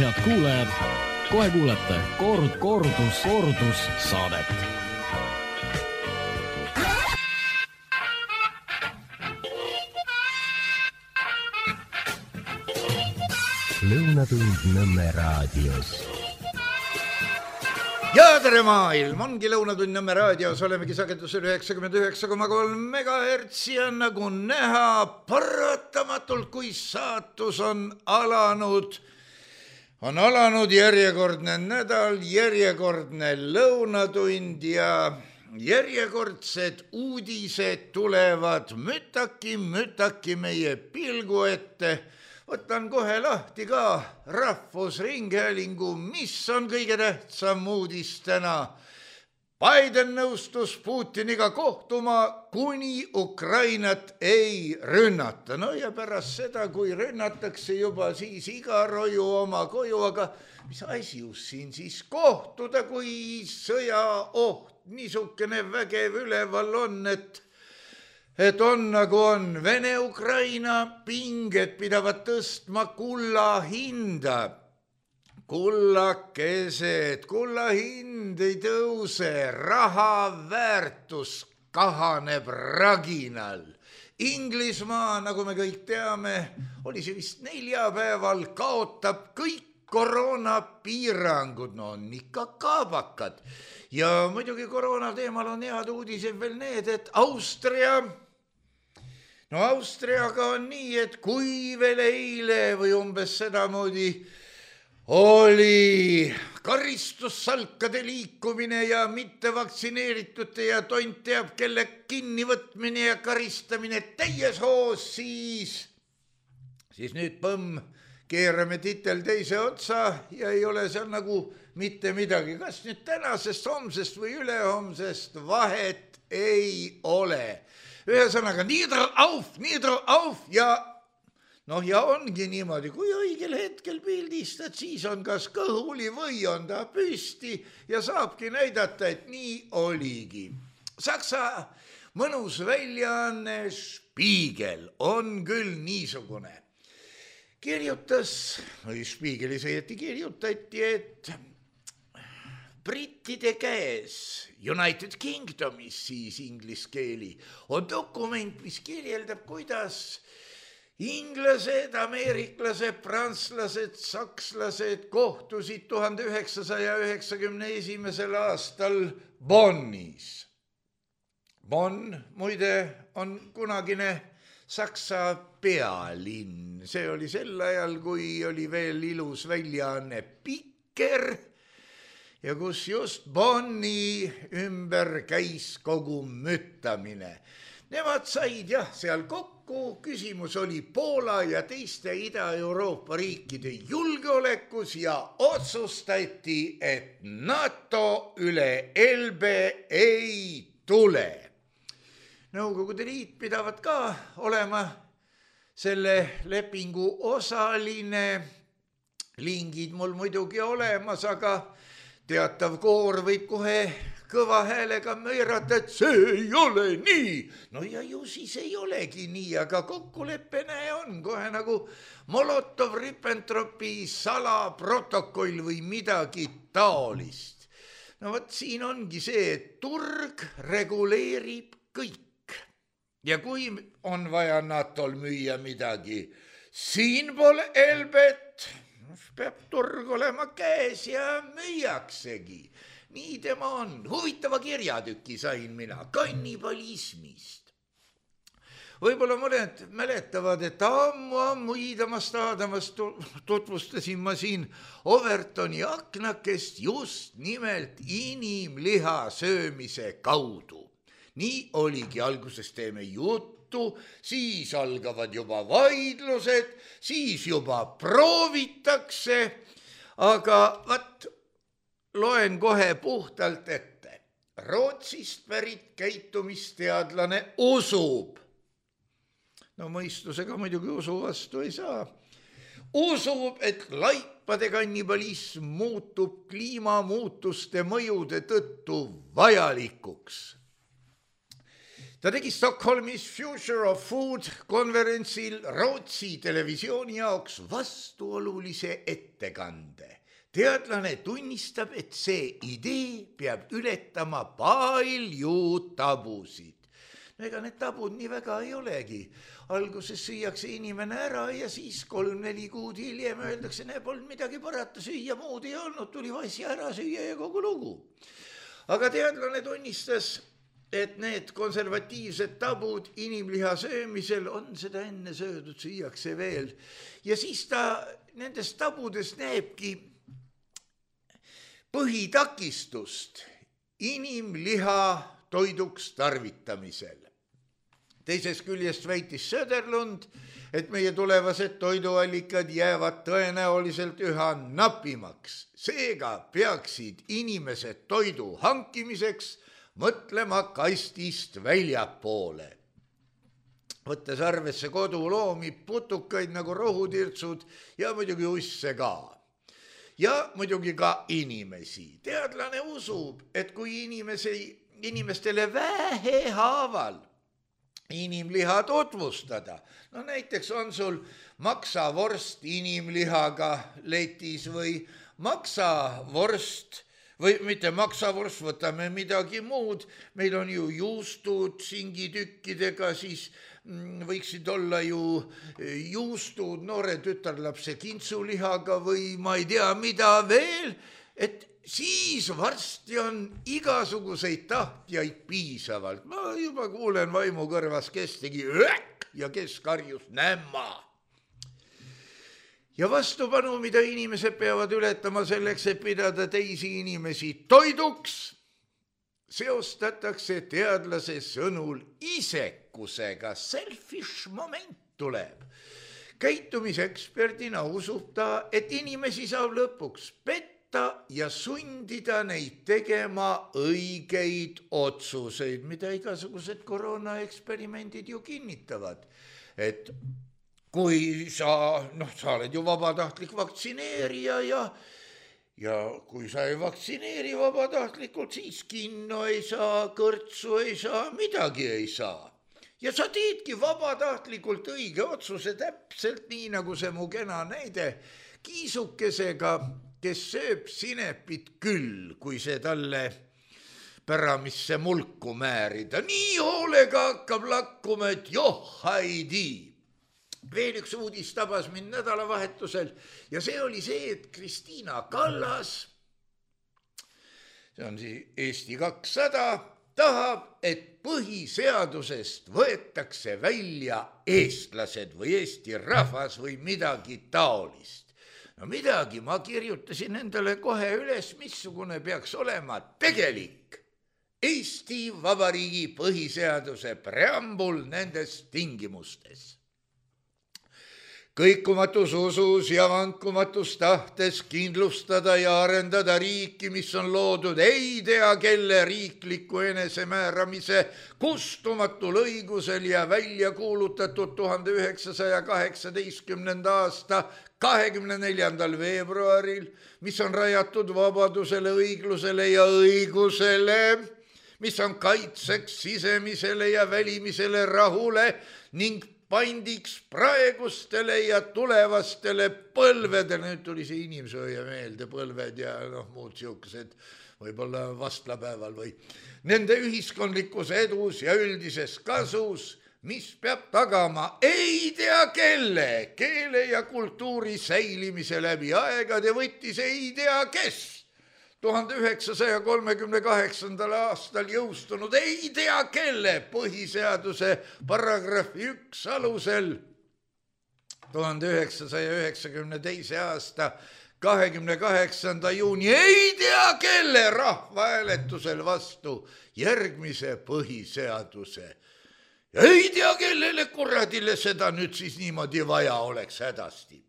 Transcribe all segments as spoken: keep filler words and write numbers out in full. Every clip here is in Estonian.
head kuulajad, kohe kuulete kord, kordus, kordus saadet. Lõunatund Nõmme raadios. Ja tere maailm, ongi Lõunatund Nõmme raadios, olemegi sagedusel üheksakümmend üheksa koma kolm megahertsi ja nagu näha paratamatult, kui saatus on alanud, on alanud järjekordne nädal, järjekordne lõunatund ja järjekordsed uudised tulevad mütaki, mütaki meie pilgu ette. Võtan kohe lahti ka Rahvusringhäälingu, mis on kõige tähtsam uudis täna. Biden nõustus Putiniga kohtuma, kuni Ukrainat ei rünnata. No ja pärast seda, kui rünnatakse juba, siis iga roju oma koju, aga mis asi just siin siis kohtuda, kui sõjaoht niisugune vägev üleval on, et Et on nagu on, Vene-Ukraina pinged pidavad tõstma kulla hinda. Kullakesed, kulla hind ei tõuse, raha väärtus kahaneb raginal. Inglismaa, nagu me kõik teame, oli see vist neljapäeval, kaotab kõik koroonapiirangud, no on ikka kaabakad. Ja muidugi koroona teemal on head uudised veel need, et Austria... No Austriaga on nii, et kui veel eile või umbes sedamoodi oli karistussalkade liikumine ja mittevaktsineeritute ja tont teab kelle kinnivõtmine ja karistamine täies hoos, siis, siis nüüd põmm, keerame titel teise otsa ja ei ole seal nagu mitte midagi. Kas nüüd tänasest, homsest või ülehomsest vahet ei ole. Ühesõnaga, niidro auf, niidro auf ja noh, ja ongi niimoodi, kui õigel hetkel pildistad, siis on kas kõhuli või on ta püsti ja saabki näidata, et nii oligi. Saksa mõnus väljaanne Spiegel on küll niisugune. Kirjutas, või Spiegelis õieti kirjutati, et brittide käes, United Kingdomis siis ingliskeeli, on dokument, mis kirjeldab, kuidas inglased, ameeriklased, prantslased, sakslased kohtusid tuhande üheksasaja üheksakümne esimesel aastal Bonnis. Bonn, muide, on kunagine Saksa pealinn. See oli sel ajal, kui oli veel ilus väljaanne Pikker, ja kus just Bonni ümber käis kogu müttamine. Nemad said jah seal kokku, küsimus oli Poola ja teiste Ida-Euroopa riikide julgeolekus ja otsustati, et NATO üle Elbe ei tule. Nõukogude Liit pidavat ka olema selle lepingu osaline. Lingid mul muidugi olemas, aga teatav koor võib kohe kõva häälega möirata, et see ei ole nii. No ja ju siis ei olegi nii, aga kokkuleppene on kohe nagu Molotov-Ribbentropi salaprotokoll või midagi taolist. No võt siin ongi see, et turg reguleerib kõik. Ja kui on vaja NATOl müüa midagi siinpool Elbet, peab turg olema käes ja müüaksegi. Nii tema on. Huvitava kirjatüki sain mina kannibalismist. Võib-olla mõned mäletavad, et ammu-ammu iidamast aadamast tutvustasin ma siin Overtoni aknakest just nimelt inimliha söömise kaudu. Nii oligi, alguses teeme juttu, siis algavad juba vaidlused, siis juba proovitakse, aga vat loen kohe puhtalt ette. Rootsist pärit käitumisteadlane usub, no mõistusega muidugi usu vastu ei saa, usub, et laipade kannibalism muutub kliimamuutuste mõjude tõttu vajalikuks. ta tegi Stockholmis Future of Food konverentsil Rootsi televisiooni jaoks vastuolulise ettekande. Teadlane tunnistab, et see idee peab ületama palju tabusid. No ega need tabud nii väga ei olegi. Alguses süüakse inimene ära ja siis kolm-neli kuud hiljem öeldakse, ne polnud midagi parata, süüa muud ei olnud, tuli vasja ära süüa ja kogu lugu. Aga teadlane tunnistas, et need konservatiivsed tabud inimliha söömisel on seda enne söödud, süüakse veel. Ja siis ta nendest tabudest näebki põhitakistust inimliha toiduks tarvitamisel. Teisest küljest väitis Söderlund, et meie tulevased toiduallikad jäävad tõenäoliselt üha napimaks. Seega peaksid inimesed toidu hankimiseks mõtlema kastist väljapoole. Võttes arvesse koduloomi, putukaid nagu rohutirtsud ja muidugi usse ka. Ja muidugi ka inimesi. Teadlane usub, et kui inimesi, inimestele vähe haaval inimliha tutvustada, no näiteks on sul maksavorst inimlihaga letis või maksavorst või mitte maksavorst, võtame midagi muud, meil on ju juustud singitükkidega, siis võiksid olla ju juustud noore tütarlapse kintsulihaga või ma ei tea mida veel, et siis varsti on igasuguseid tahtjaid piisavalt. Ma juba kuulen vaimu kõrvas, kes tegi öök ja kes karjus nämma. Ja vastupanu, mida inimesed peavad ületama selleks, et pidada teisi inimesi toiduks, seostatakse teadlase sõnul isekusega. Selfish moment tuleb. Käitumiseksperdina usub ta, et inimesi saab lõpuks petta ja sundida neid tegema õigeid otsuseid, mida igasugused koroonaeksperimendid ju kinnitavad. Et kui sa, noh, sa oled ju vabatahtlik vaktsineerija ja, ja kui sa ei vaktsineeri vabatahtlikult, siis kinno ei saa, kõrtsu ei saa, midagi ei saa. Ja sa teedki vabatahtlikult õige otsuse täpselt nii, nagu see mu kena näide kiisukesega, kes sööb sinepit küll, kui see talle päramisse mulku määrida. Nii hoolega hakkab lakkuma, et joh, haidi. Veel üks uudis tabas mind nädalavahetusel ja see oli see, et Kristiina Kallas, see on siis Eesti kakssada, tahab, et põhiseadusest võetakse välja eestlased või Eesti rahvas või midagi taolist. No midagi, ma kirjutasin endale kohe üles, missugune peaks olema tegelik Eesti Vabariigi põhiseaduse preambul nendes tingimustes. Kõikumatus usus ja vankumatus tahtes kindlustada ja arendada riiki, mis on loodud ei tea kelle riikliku enesemääramise kustumatul õigusel ja välja kuulutatud tuhande üheksasaja kaheksateistkümnenda aasta kahekümne neljandal veebruaril, mis on rajatud vabadusele, õiglusele ja õigusele, mis on kaitseks sisemisele ja välimisele rahule ning pandiks praegustele ja tulevastele põlvedele. Nüüd tuli see inimsööja meelde, põlved ja noh, muud siukesed, võib-olla vastlapäeval või nende ühiskondlikus edus ja üldises kasus, mis peab tagama ei tea kelle, keele ja kultuuri säilimise läbi aegade, võttis ei tea kes. tuhande üheksasaja kolmekümne kaheksandal aastal jõustunud ei tea kelle põhiseaduse paragrahvi üks alusel tuhande üheksasaja üheksakümne teise aasta kahekümne kaheksanda juuni ei tea kelle rahvahääletusel vastu järgmise põhiseaduse. Ja ei tea kellele kuradile seda nüüd siis niimoodi vaja oleks hädasti.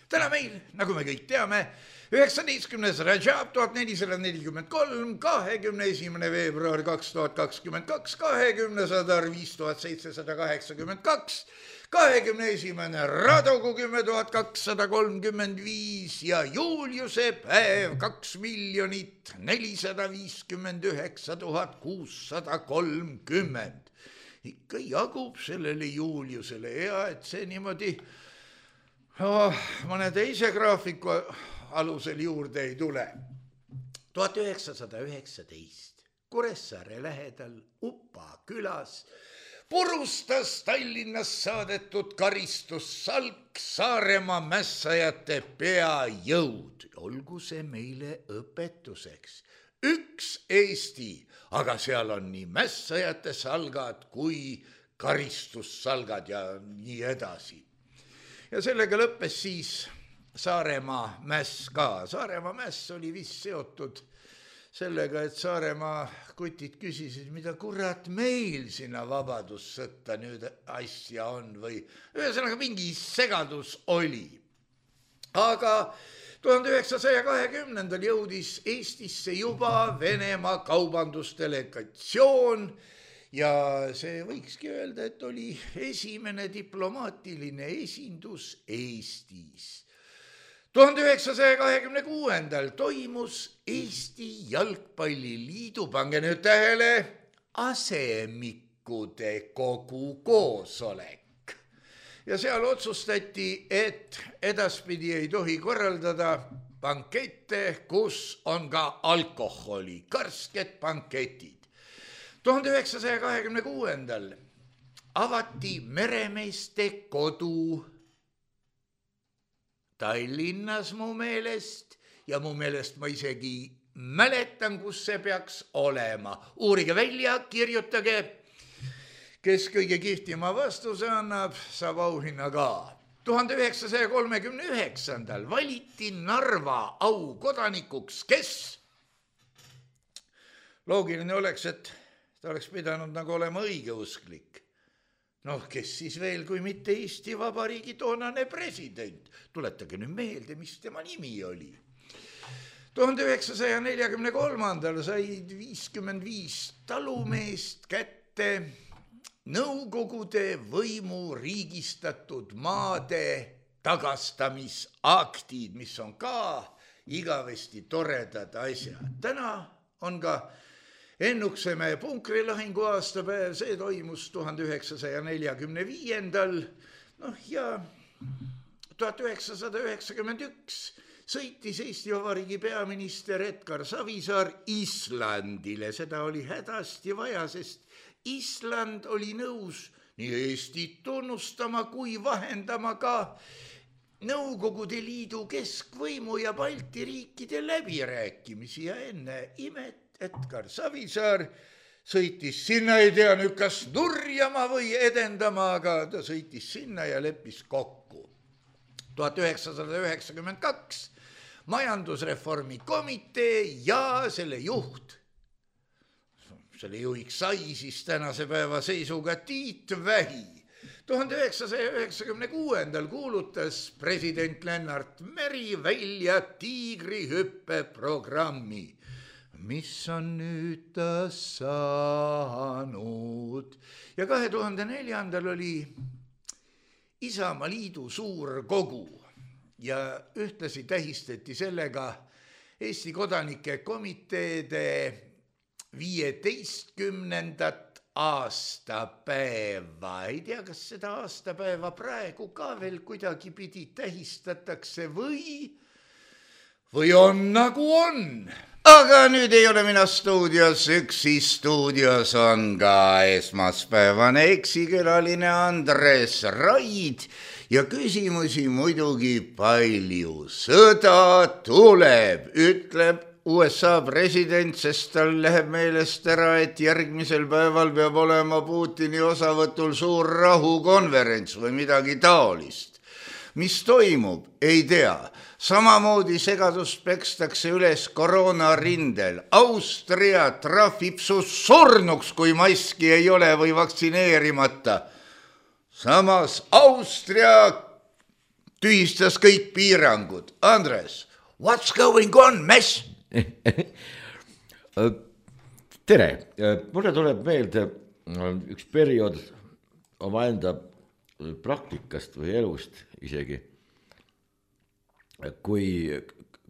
Täna meil, nagu me kõik teame, üheksateistkümnes Rajab tuhat nelisada nelikümmend kolm, kahekümne esimene veebruar kaks tuhat kakskümmend kaks, kahekümne sadar viis tuhat seitsesada kaheksakümmend kaks, kahekümne esimene Radogu kümme tuhat kakssada kolmkümmend viis ja Juliuse päev kaks miljonit nelisada viiskümmend üheksa tuhat kuussada kolmkümmend. ikka jagub sellele Juliusele ja et see niimoodi oh, mõne teise graafiku alusel juurde ei tule. tuhat üheksasada üheksateist Kuressaare lähedal Upa külas purustas Tallinnas saadetud karistussalk Saaremaa mässajate peajõud. Olgu see meile õpetuseks. Üks Eesti, aga seal on nii mässajate salgad kui karistussalgad ja nii edasi. Ja sellega lõppes siis Saaremaa mäss ka. Saaremaa mäss oli vist seotud sellega, et Saaremaa kutid küsisid, mida kurat meil sinna vabadussõtta nüüd asja on või ühesõnaga mingi segadus oli. Aga tuhande üheksasaja kahekümnendal jõudis Eestisse juba Venemaa kaubandusdelegatsioon ja see võikski öelda, et oli esimene diplomaatiline esindus Eestis. tuhande üheksasaja kahekümne kuuendal toimus Eesti Jalgpalliliidu, pange nüüd tähele, asemikude kogu koosolek. Ja seal otsustati, et edaspidi ei tohi korraldada bankette, kus on ka alkoholi, karsked banketid. tuhande üheksasaja kahekümne kuuendal avati meremeeste kodu Tallinnas mu meelest ja mu meelest ma isegi mäletan, kus see peaks olema. Uurige välja, kirjutage. Kes kõige kihtima vastuse annab, saab auhinna ka. tuhande üheksasaja kolmekümne üheksandal valiti Narva aukodanikuks, kes? Loogiline oleks, et ta oleks pidanud nagu olema õigeusklik. Noh, kes siis veel, kui mitte Eesti Vabariigi toonane president. Tuletage nüüd meelde, mis tema nimi oli. tuhande üheksasaja neljakümne kolmandal said viiskümmend viis talumeest kätte Nõukogude võimu riigistatud maade tagastamisaktid, mis on ka igavesti toredad asjad. Täna on ka Ennuksemäe punkrilahingu aastapäev, see toimus tuhande üheksasaja neljakümne viiendal. Noh ja tuhat üheksasada üheksakümmend üks sõitis Eesti Vabariigi peaminister Edgar Savisaar Islandile. Seda oli hädasti vaja, sest Island oli nõus nii Eestit tunnustama kui vahendama ka Nõukogude Liidu keskvõimu ja Balti riikide läbirääkimisi ja enne imet Edgar Savisaar sõitis sinna, ei tea nüüd kas nurjama või edendama, aga ta sõitis sinna ja leppis kokku. tuhat üheksasada üheksakümmend kaks majandusreformi komitee ja selle juht, selle juhiks sai siis tänase päeva seisuga Tiit Vähi. tuhande üheksasaja üheksakümne kuuendal kuulutas president Lennart Meri välja tiigrihüppe programmi. Mis on nüüd ta saanud? Ja kahe tuhande neljandal oli Isamaaliidu suur kogu ja ühtlasi tähistati sellega Eesti kodanike komiteede viieteistkümnendat aastapäeva. Ei tea, kas seda aastapäeva praegu ka veel kuidagi pidi tähistatakse või, või on nagu on. Aga nüüd ei ole mina stuudios üksi, stuudios on ka esmaspäevane eksikülaline Andres Raid ja küsimusi muidugi palju. Sõda tuleb, ütleb U S A president, sest tal läheb meelest ära, et järgmisel päeval peab olema Putini osavõtul suur rahukonverents või midagi taolist. Mis toimub, ei tea. Samamoodi segadust pekstakse üles koroonarindel. Austria trahvib su surnuks, kui maski ei ole või vaktsineerimata. Samas Austria tühistas kõik piirangud. Andres, what's going on, mess? Tere, mulle tuleb meelde üks periood omaenda praktikast või elust isegi, kui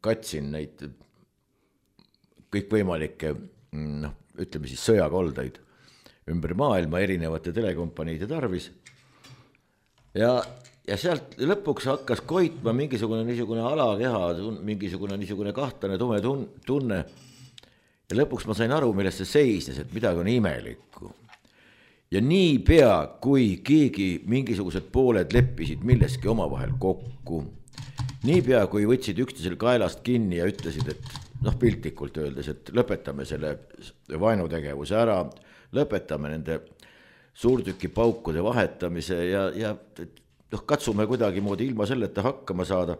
katsin neid kõikvõimalikke, noh, ütleme siis sõjakoldaid ümber maailma erinevate telekompaniide tarvis. ja, ja sealt lõpuks hakkas koitma mingisugune niisugune alakeha, mingisugune niisugune kahtlane tume tunne. Ja lõpuks ma sain aru, millest see seisnes, et midagi on imelikku. Ja nii pea, kui keegi mingisugused pooled leppisid milleski omavahel kokku, nii pea, kui võtsid üksteisel kaelast kinni ja ütlesid, et noh, piltlikult öeldes, et lõpetame selle vaenutegevuse ära, lõpetame nende suurtüki paukude vahetamise ja, ja noh, katsume kuidagi moodi ilma selleta hakkama saada.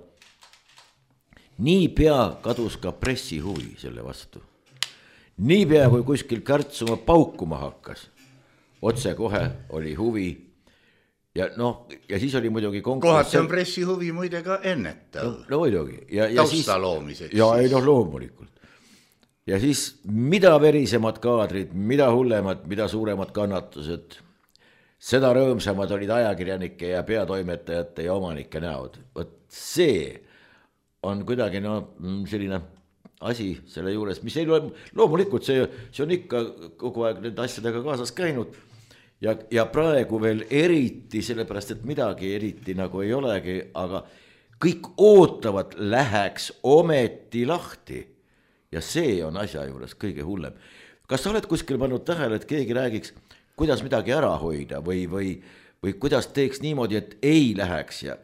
Nii pea kadus ka pressi huvi selle vastu. Nii pea, kui kuskil kärtsuma paukuma hakkas, otse kohe oli huvi ja noh, ja siis oli muidugi konkurss. Kohati on pressi huvi muide ka ennetav. No, no muidugi. Ja, ja tausta siis, loomiseks. Ja ei noh, loomulikult. Ja siis mida verisemad kaadrid, mida hullemad, mida suuremad kannatused, seda rõõmsamad olid ajakirjanike ja peatoimetajate ja omanike näod. Võt see on kuidagi no selline asi selle juures, mis ei ole, loomulikult see, see on ikka kogu aeg nende asjadega kaasas käinud ja, ja praegu veel eriti, sellepärast et midagi eriti nagu ei olegi, aga kõik ootavad läheks ometi lahti ja see on asja juures kõige hullem. Kas sa oled kuskil pannud tähele, et keegi räägiks, kuidas midagi ära hoida või, või, või kuidas teeks niimoodi, et ei läheks ja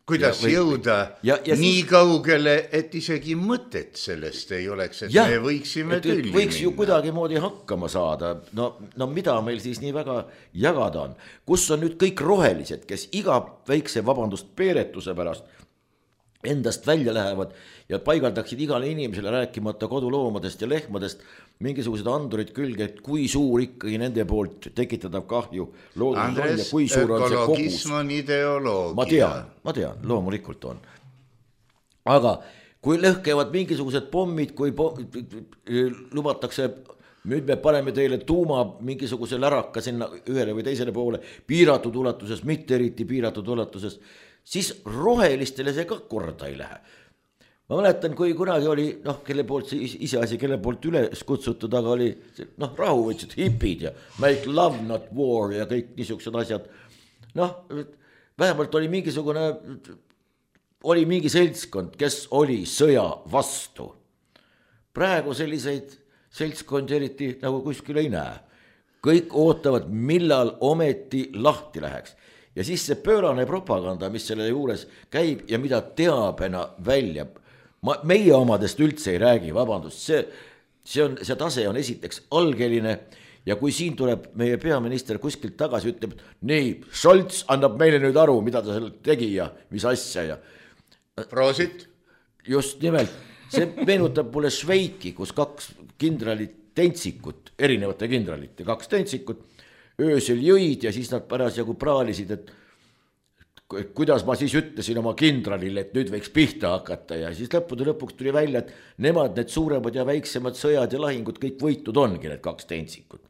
kuidas ja, või, jõuda ja, ja nii siis, kaugele, et isegi mõtet sellest ei oleks, et ja, me võiksime tülli minna. Võiks ju kuidagi moodi hakkama saada. No, no mida meil siis nii väga jagada on? Kus on nüüd kõik rohelised, kes iga väikse vabandust peeretuse pärast endast välja lähevad ja paigaldaksid igale inimesele rääkimata koduloomadest ja lehmadest mingisugused andurid külge, et kui suur ikkagi nende poolt tekitatav kahju loodus on ja kui suur on see kogus. On ideoloogia. Ma tean, ma tean, loomulikult on. Aga kui lõhkevad mingisugused pommid, kui po lubatakse, nüüd me paneme teile tuuma mingisuguse läraka sinna ühele või teisele poole, piiratud ulatuses, mitte eriti piiratud ulatuses, siis rohelistele see ka korda ei lähe. Ma mäletan, kui kunagi oli, noh, kelle poolt see iseasi, kelle poolt üles kutsutud, aga oli, noh, rahu võtsid hipid ja make love not war ja kõik niisugused asjad. Noh, vähemalt oli mingisugune, oli mingi seltskond, kes oli sõja vastu. Praegu selliseid seltskondi eriti nagu kuskil ei näe. Kõik ootavad, millal ometi lahti läheks. Ja siis see pöörane propaganda, mis selle juures käib ja mida teabena välja, ma, meie omadest üldse ei räägi, vabandust, see, see, on, see tase on esiteks algeline ja kui siin tuleb meie peaminister kuskilt tagasi, ütleb, nii, Scholz annab meile nüüd aru, mida ta seal tegi ja mis asja ja. Proosit. Just nimelt, see meenutab mulle Šveiki, kus kaks kindralit tentsikut, erinevate kindralite, kaks tentsikut, öösel jõid ja siis nad parasjagu praalisid, et kuidas ma siis ütlesin oma kindralile, et nüüd võiks pihta hakata ja siis lõppude lõpuks tuli välja, et nemad need suuremad ja väiksemad sõjad ja lahingud kõik võitud ongi need kaks tentsikut.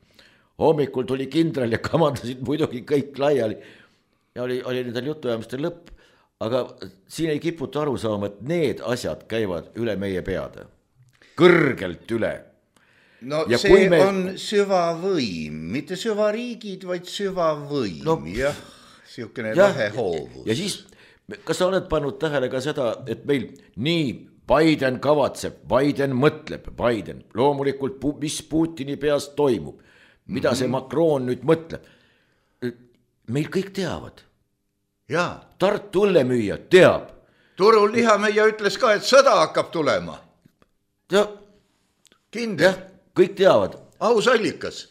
Hommikul tuli kindral ja kamandasid muidugi kõik laiali ja oli, oli nendel jutuajamistel lõpp, aga siin ei kiputa aru saama, et need asjad käivad üle meie peade, kõrgelt üle. No ja see me... on süvavõim, mitte süvariigid, vaid süvavõim, no, jah, siukene lahe hoovus. Ja siis, kas sa oled pannud tähele ka seda, et meil nii Biden kavatseb, Biden mõtleb, Biden, loomulikult, mis Putini peas toimub, mida mm-hmm. see Macron nüüd mõtleb, meil kõik teavad. Jaa. Tartu õllemüüja teab. Turul lihameia ütles ka, et sõda hakkab tulema. Ja, kindel. Jah. Kõik teavad. Aus allikas.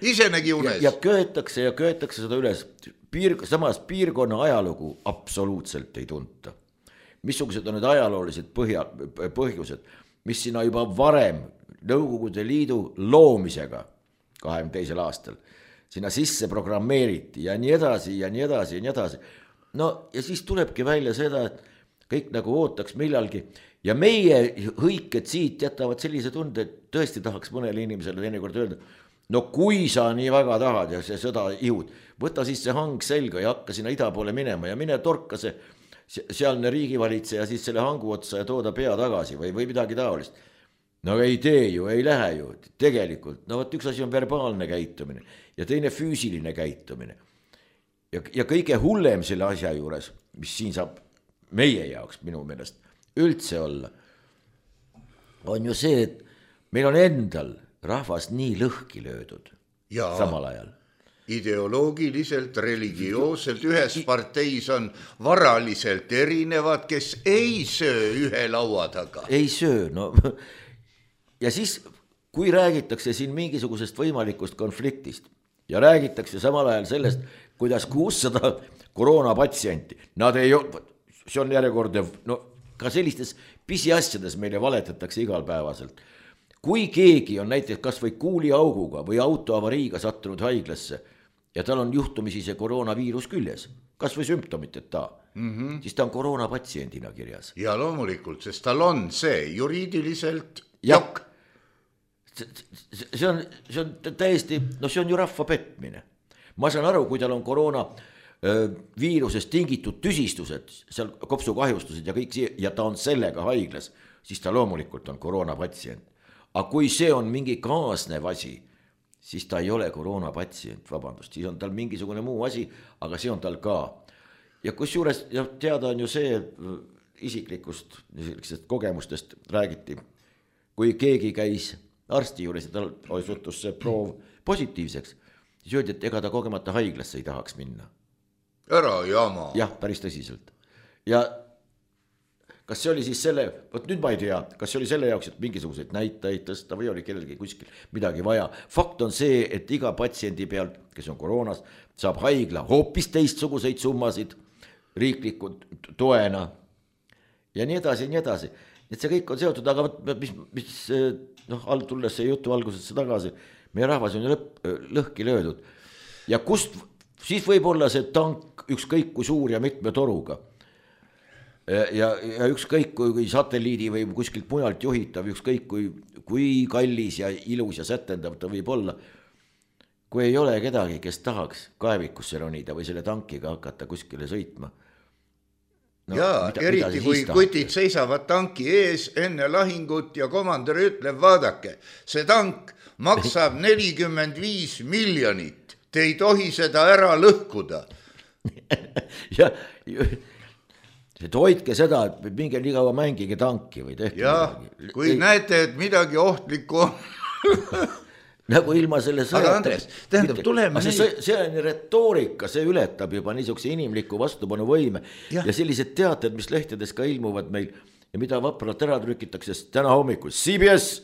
Ise nägi unes. Ja, ja köetakse ja köetakse seda üles. Piir, samas piirkonna ajalugu absoluutselt ei tunta. Missugused on need ajaloolised põhja, põhjused, mis sinna juba varem Nõukogude Liidu loomisega kahekümne teisel aastal sinna sisse programmeeriti ja nii edasi ja nii edasi ja nii edasi. No ja siis tulebki välja seda, et kõik nagu ootaks millalgi. Ja meie hõiked siit jätavad sellise tunde, et tõesti tahaks mõnele inimesele teinekord öelda, no kui sa nii väga tahad ja see sõda ihud, võta siis see hang selga ja hakka sinna ida poole minema ja mine torka see sealne riigivalitseja siis selle hangu otsa ja tooda pea tagasi või, või midagi taolist. no ei tee ju, ei lähe ju, tegelikult, no vot üks asi on verbaalne käitumine ja teine füüsiline käitumine. ja, ja kõige hullem selle asja juures, mis siin saab meie jaoks minu meelest üldse olla, on ju see, et meil on endal rahvas nii lõhki löödud ja samal ajal. Ideoloogiliselt, religioosselt, ühes parteis on varaliselt erinevad, kes ei söö ühe laua taga. Ei söö, no ja siis, kui räägitakse siin mingisugusest võimalikust konfliktist ja räägitakse samal ajal sellest, kuidas kuussada koroonapatsienti, nad ei ole, see on järjekordne, no ka sellistes pisiasjades meile valetatakse igalpäevaselt. Kui keegi on näiteks kas või kuuliauguga või autoavariiga sattunud haiglasse ja tal on juhtumisi see koroonaviirus küljes, kas või symptomiteta, mm-hmm. siis ta on koroonapatsiendina kirjas. Ja loomulikult, sest tal on see juriidiliselt jokk. See on, see on täiesti, no see on ju rahva petmine. Ma saan aru, kui tal on koroona viirusest tingitud tüsistused, seal kopsukahjustused ja kõik see, ja ta on sellega haiglas, siis ta loomulikult on koroonapatsient. Aga kui see on mingi kaasnev asi, siis ta ei ole koroonapatsient, vabandust, siis on tal mingisugune muu asi, aga see on tal ka. Ja kus juures ja teada on ju see isiklikust kogemustest räägiti, kui keegi käis arsti juures ja tal osutus see proov positiivseks, siis öeldi, et ega ta kogemata haiglasse ei tahaks minna. Ära jama. Jah, päris tõsiselt. Ja kas see oli siis selle, võt nüüd ma ei tea, kas see oli selle jaoks, et mingisuguseid näitajaid tõsta või oli kellelgi kuskil midagi vaja. Fakt on see, et iga patsiendi pealt, kes on koroonas, saab haigla hoopis teistsuguseid summasid riiklikud toena ja nii edasi, nii edasi. Et see kõik on seotud, aga mis, mis noh, tulles see jutu algusesse tagasi, meie rahvas on ju lõpp, lõhki löödud. Ja kust, siis võib olla see tank ükskõik kui suur ja mitme toruga. Ja, ja ükskõik kui satelliidi või kuskilt mujalt juhitav, ükskõik kui, kui kallis ja ilus ja sätendav ta võib olla, kui ei ole kedagi, kes tahaks kaevikusse ronida või selle tankiga hakata kuskile sõitma. No, jaa, mida, eriti mida kui kutid seisavad tanki ees enne lahingut ja komandör ütleb, vaadake, see tank maksab nelikümmend viis miljonit, te ei tohi seda ära lõhkuda. ja et hoidke seda, et minge nii kaua mängige tanki või tehke ja, midagi. Kui ei, näete, et midagi ohtlikku nagu ilma selle sõjata. Aga Andres, tähendab, tuleme see, see, see on retoorika, see ületab juba niisuguse inimliku vastupanu võime ja. ja sellised teated, mis lehtedes ka ilmuvad meil ja mida vapralt ära trükitakse, sest täna hommikul C B S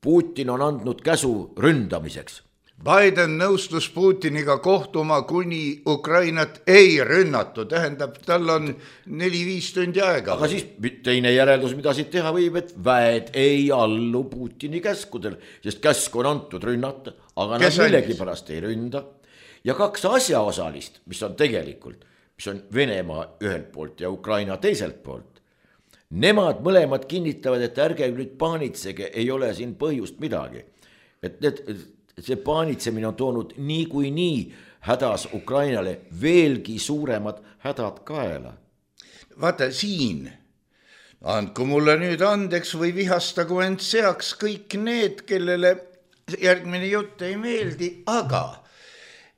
Putin on andnud käsu ründamiseks. Biden nõustus Putiniga kohtuma, kuni Ukrainat ei rünnatu, tähendab, tal on neli-viis tundi aega. Aga siis teine järeldus, mida siit teha võib, et väed ei allu Putini käskudel, sest käsku on antud rünnata, aga nad millegi pärast ei ründa. Ja kaks asjaosalist, mis on tegelikult, mis on Venemaa ühelt poolt ja Ukraina teiselt poolt, nemad mõlemad kinnitavad, et ärge nüüd paanitsege, ei ole siin põhjust midagi. Et need... see paanitsemine on toonud nii kui nii hädas Ukrainale veelgi suuremad hädad kaela. Vaata siin, andku mulle nüüd andeks või vihastagu end seaks kõik need, kellele järgmine jutt ei meeldi, aga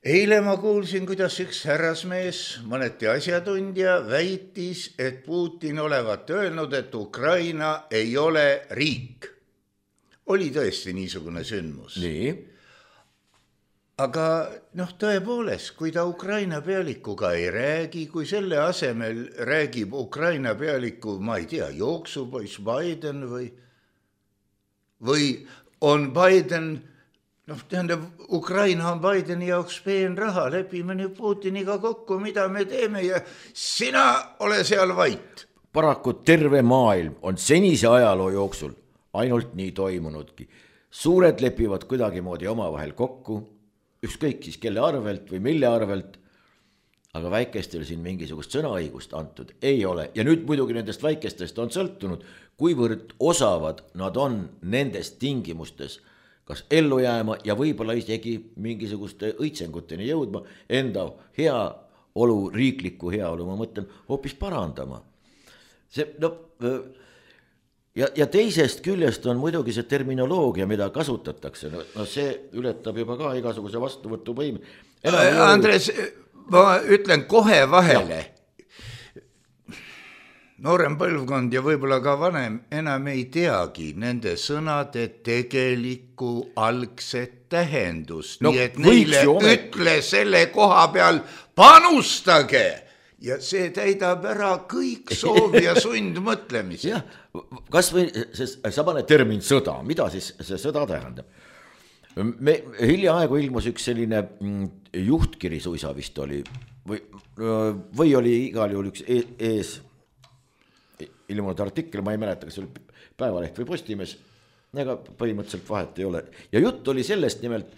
eile ma kuulsin, kuidas üks härrasmees, mõneti asjatundja, väitis, et Putin olevat öelnud, et Ukraina ei ole riik. Oli tõesti niisugune sündmus. Nii. Aga noh, tõepoolest, kui ta Ukraina pealikuga ei räägi, kui selle asemel räägib Ukraina pealiku, ma ei tea, jooksupoiss Biden või, või on Biden, noh, tähendab, Ukraina on Bideni jaoks peen raha, lepime nüüd Putiniga kokku, mida me teeme ja sina ole seal vait. Paraku terve maailm on senise ajaloo jooksul ainult nii toimunudki. Suured lepivad kuidagimoodi omavahel kokku, ükskõik siis kelle arvelt või mille arvelt, aga väikestel siin mingisugust sõnaõigust antud ei ole. Ja nüüd muidugi nendest väikestest on sõltunud, kuivõrd osavad nad on nendest tingimustes kas ellu jääma ja võib-olla isegi mingisuguste õitsenguteni jõudma, enda hea olu, riikliku heaolu, ma mõtlen, hoopis parandama. See, no, ja, ja teisest küljest on muidugi see terminoloogia, mida kasutatakse, no, no see ületab juba ka igasuguse vastuvõtuvõime. Andres, ma ütlen kohe vahele. Noorem põlvkond ja võib-olla ka vanem enam ei teagi nende sõnade tegelikku algset tähendust, no, nii et neile ütle selle koha peal panustage ja see täidab ära kõik soovi ja sundmõtlemisi. jah, kas või see samane termin sõda, mida siis see sõda tähendab? Me hiljaaegu ilmus üks selline juhtkiri suisa vist oli või, või oli igal juhul üks ees ilmunud artikkel, ma ei mäleta, kas oli Päevaleht või Postimees, ega põhimõtteliselt vahet ei ole. Ja jutt oli sellest nimelt,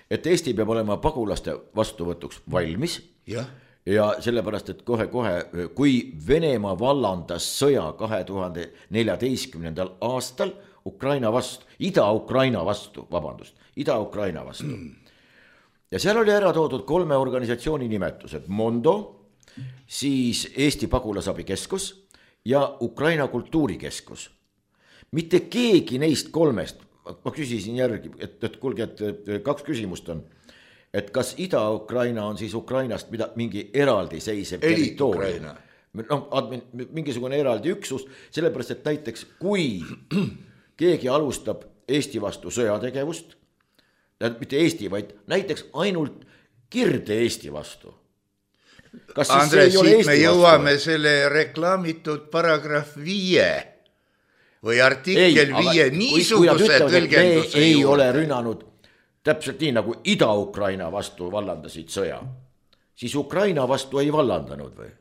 et Eesti peab olema pagulaste vastuvõtuks valmis ja, ja sellepärast, et kohe-kohe, kui Venemaa vallandas sõja kahe tuhande neljateistkümnendal aastal Ukraina vastu, Ida-Ukraina vastu, vabandust, Ida-Ukraina vastu. Ja seal oli ära toodud kolme organisatsiooni nimetused, Mondo, siis Eesti Pagulasabikeskus ja Ukraina kultuurikeskus. Mitte keegi neist kolmest, ma küsisin järgi, et, et kulge, et kaks küsimust on, et kas Ida-Ukraina on siis Ukrainast mida, mingi eraldi seisev territoorium, no, mingisugune eraldi üksus, sellepärast, et näiteks kui keegi alustab Eesti vastu sõjategevust, mitte Eesti, vaid näiteks ainult Kirde Eesti vastu. Andres, siit me jõuame vastu? Selle reklaamitud paragrahv viie või artikkel ei, viie niisuguse tõlgenduse ei juurde. Ole rünnanud täpselt nii, nagu Ida-Ukraina vastu vallandasid sõja. Siis Ukraina vastu ei vallandanud või?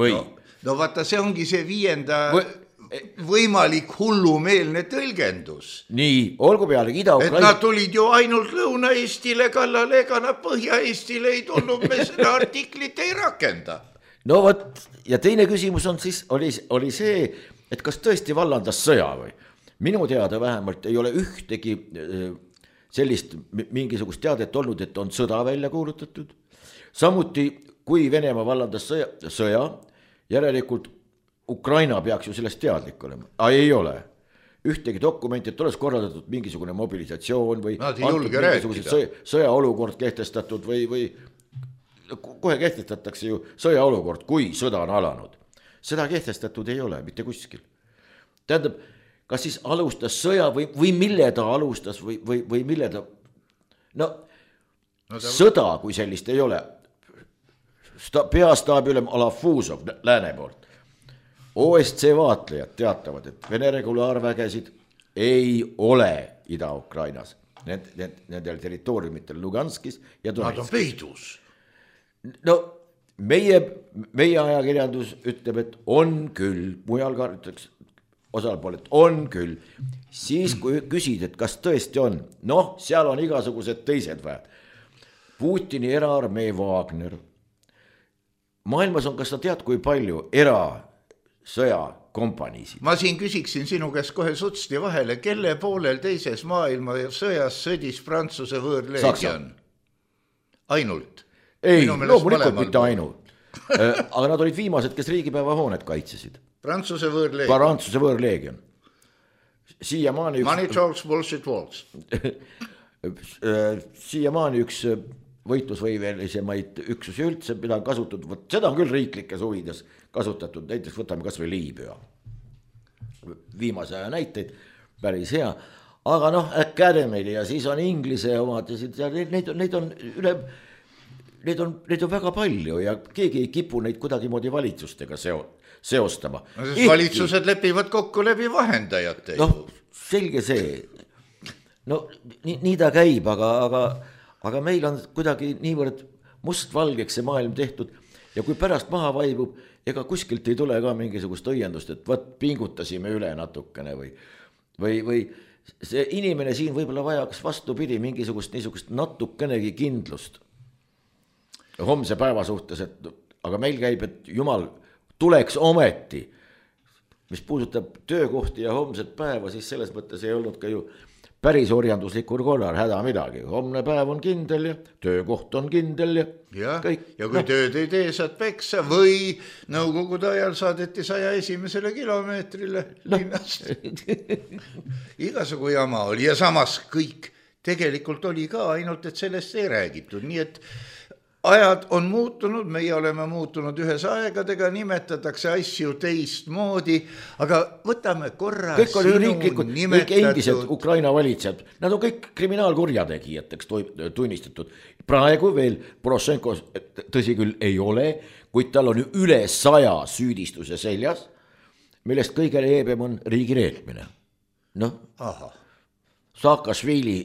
või? No, no vaata, see ongi see viienda või... võimalik hullumeelne tõlgendus. Nii, olgu peale Ida-Ukraina. Et nad tulid ju ainult Lõuna-Eestile kallale, ega nad Põhja-Eestile ei tulnud, me seda artiklit ei rakenda. No võt, ja teine küsimus on siis, oli, oli see, et kas tõesti vallandas sõja või? Minu teada vähemalt ei ole ühtegi sellist mingisugust teadet olnud, et on sõda välja kuulutatud. Samuti, kui Venemaa vallandas sõja, sõja järelikult Ukraina peaks ju sellest teadlik olema, aga ei ole. Ühtegi dokumenti, et oleks korraldatud mingisugune mobilisatsioon või sõja, sõjaolukord kehtestatud või, või kohe kehtestatakse ju sõjaolukord, kui sõda on alanud. Seda kehtestatud ei ole mitte kuskil. Tähendab, kas siis alustas sõja või, või mille ta alustas või, või, või mille ta... No, no ta... sõda, kui sellist ei ole. Sta, peastaabi ülem Alafuzov lääne poolt. O S C vaatlejad teatavad, et Vene regulaarvägesid ei ole Ida-Ukrainas, need, need, nendel territooriumitel Luganskis ja Donetskis. Nad on peidus. No meie, meie ajakirjandus ütleb, et on küll, mujal ka ütleks osalpool, et on küll. Siis kui küsid, et kas tõesti on, noh, seal on igasugused teised väed. Putini eraarmee Wagner. Maailmas on, kas sa tead, kui palju era sõjakompaniisid. Ma siin küsiksin sinu käest kohe sutsti vahele, kelle poolel teises maailma sõjas sõdis Prantsuse võõrleegion? Ainult? Ei, loomulikult mitte ainult. Aga nad olid viimased, kes riigipäeva hoonet kaitsesid. Prantsuse võõrleegion. Prantsuse võõrleegion. Siiamaani üks... Money talks, bullshit walks. Siiamaani üks võitlusvõimelisemaid üksusi üldse, mida on kasutatud, seda on küll riiklikes huvides kasutatud, näiteks võtame kas või Liibüa. Viimase aja näiteid, päris hea. Aga noh, Academy ja siis on Inglise omad ja neid, neid on üle, neid on, neid on väga palju ja keegi ei kipu neid kuidagi moodi valitsustega seo, seostama. No, Ehti, valitsused lepivad kokku läbi vahendajate. Noh, selge see. No nii, nii ta käib, aga, aga aga meil on kuidagi niivõrd mustvalgeks see maailm tehtud ja kui pärast maha vaibub, ega kuskilt ei tule ka mingisugust õiendust, et võt pingutasime üle natukene või, või, või see inimene siin võib-olla vajaks vastupidi mingisugust niisugust natukenegi kindlust homse päeva suhtes, et aga meil käib, et jumal tuleks ometi, mis puudutab töökohti ja homset päeva, siis selles mõttes ei olnud ka ju päris orjanduslikul korral häda midagi, homne päev on kindel ja töökoht on kindel ja, ja kõik. Ja kui no. tööd ei tee, saad peksa või nõukogude ajal saadeti saja esimesele kilomeetrile no. linnast. Igasugu jama oli ja samas kõik tegelikult oli ka, ainult et sellest ei räägitud, nii et ajad on muutunud, meie oleme muutunud ühes aegadega, nimetatakse asju teistmoodi, aga võtame korra kõik on sinu riiklikud, nimetatud... kõik endised Ukraina valitsejad, nad on kõik kriminaalkurjategijateks tunnistatud. Praegu veel Porošenko, tõsi küll, ei ole, kuid tal on üle saja süüdistuse seljas, millest kõige leebem on riigi reetmine. Noh, Saakašvili,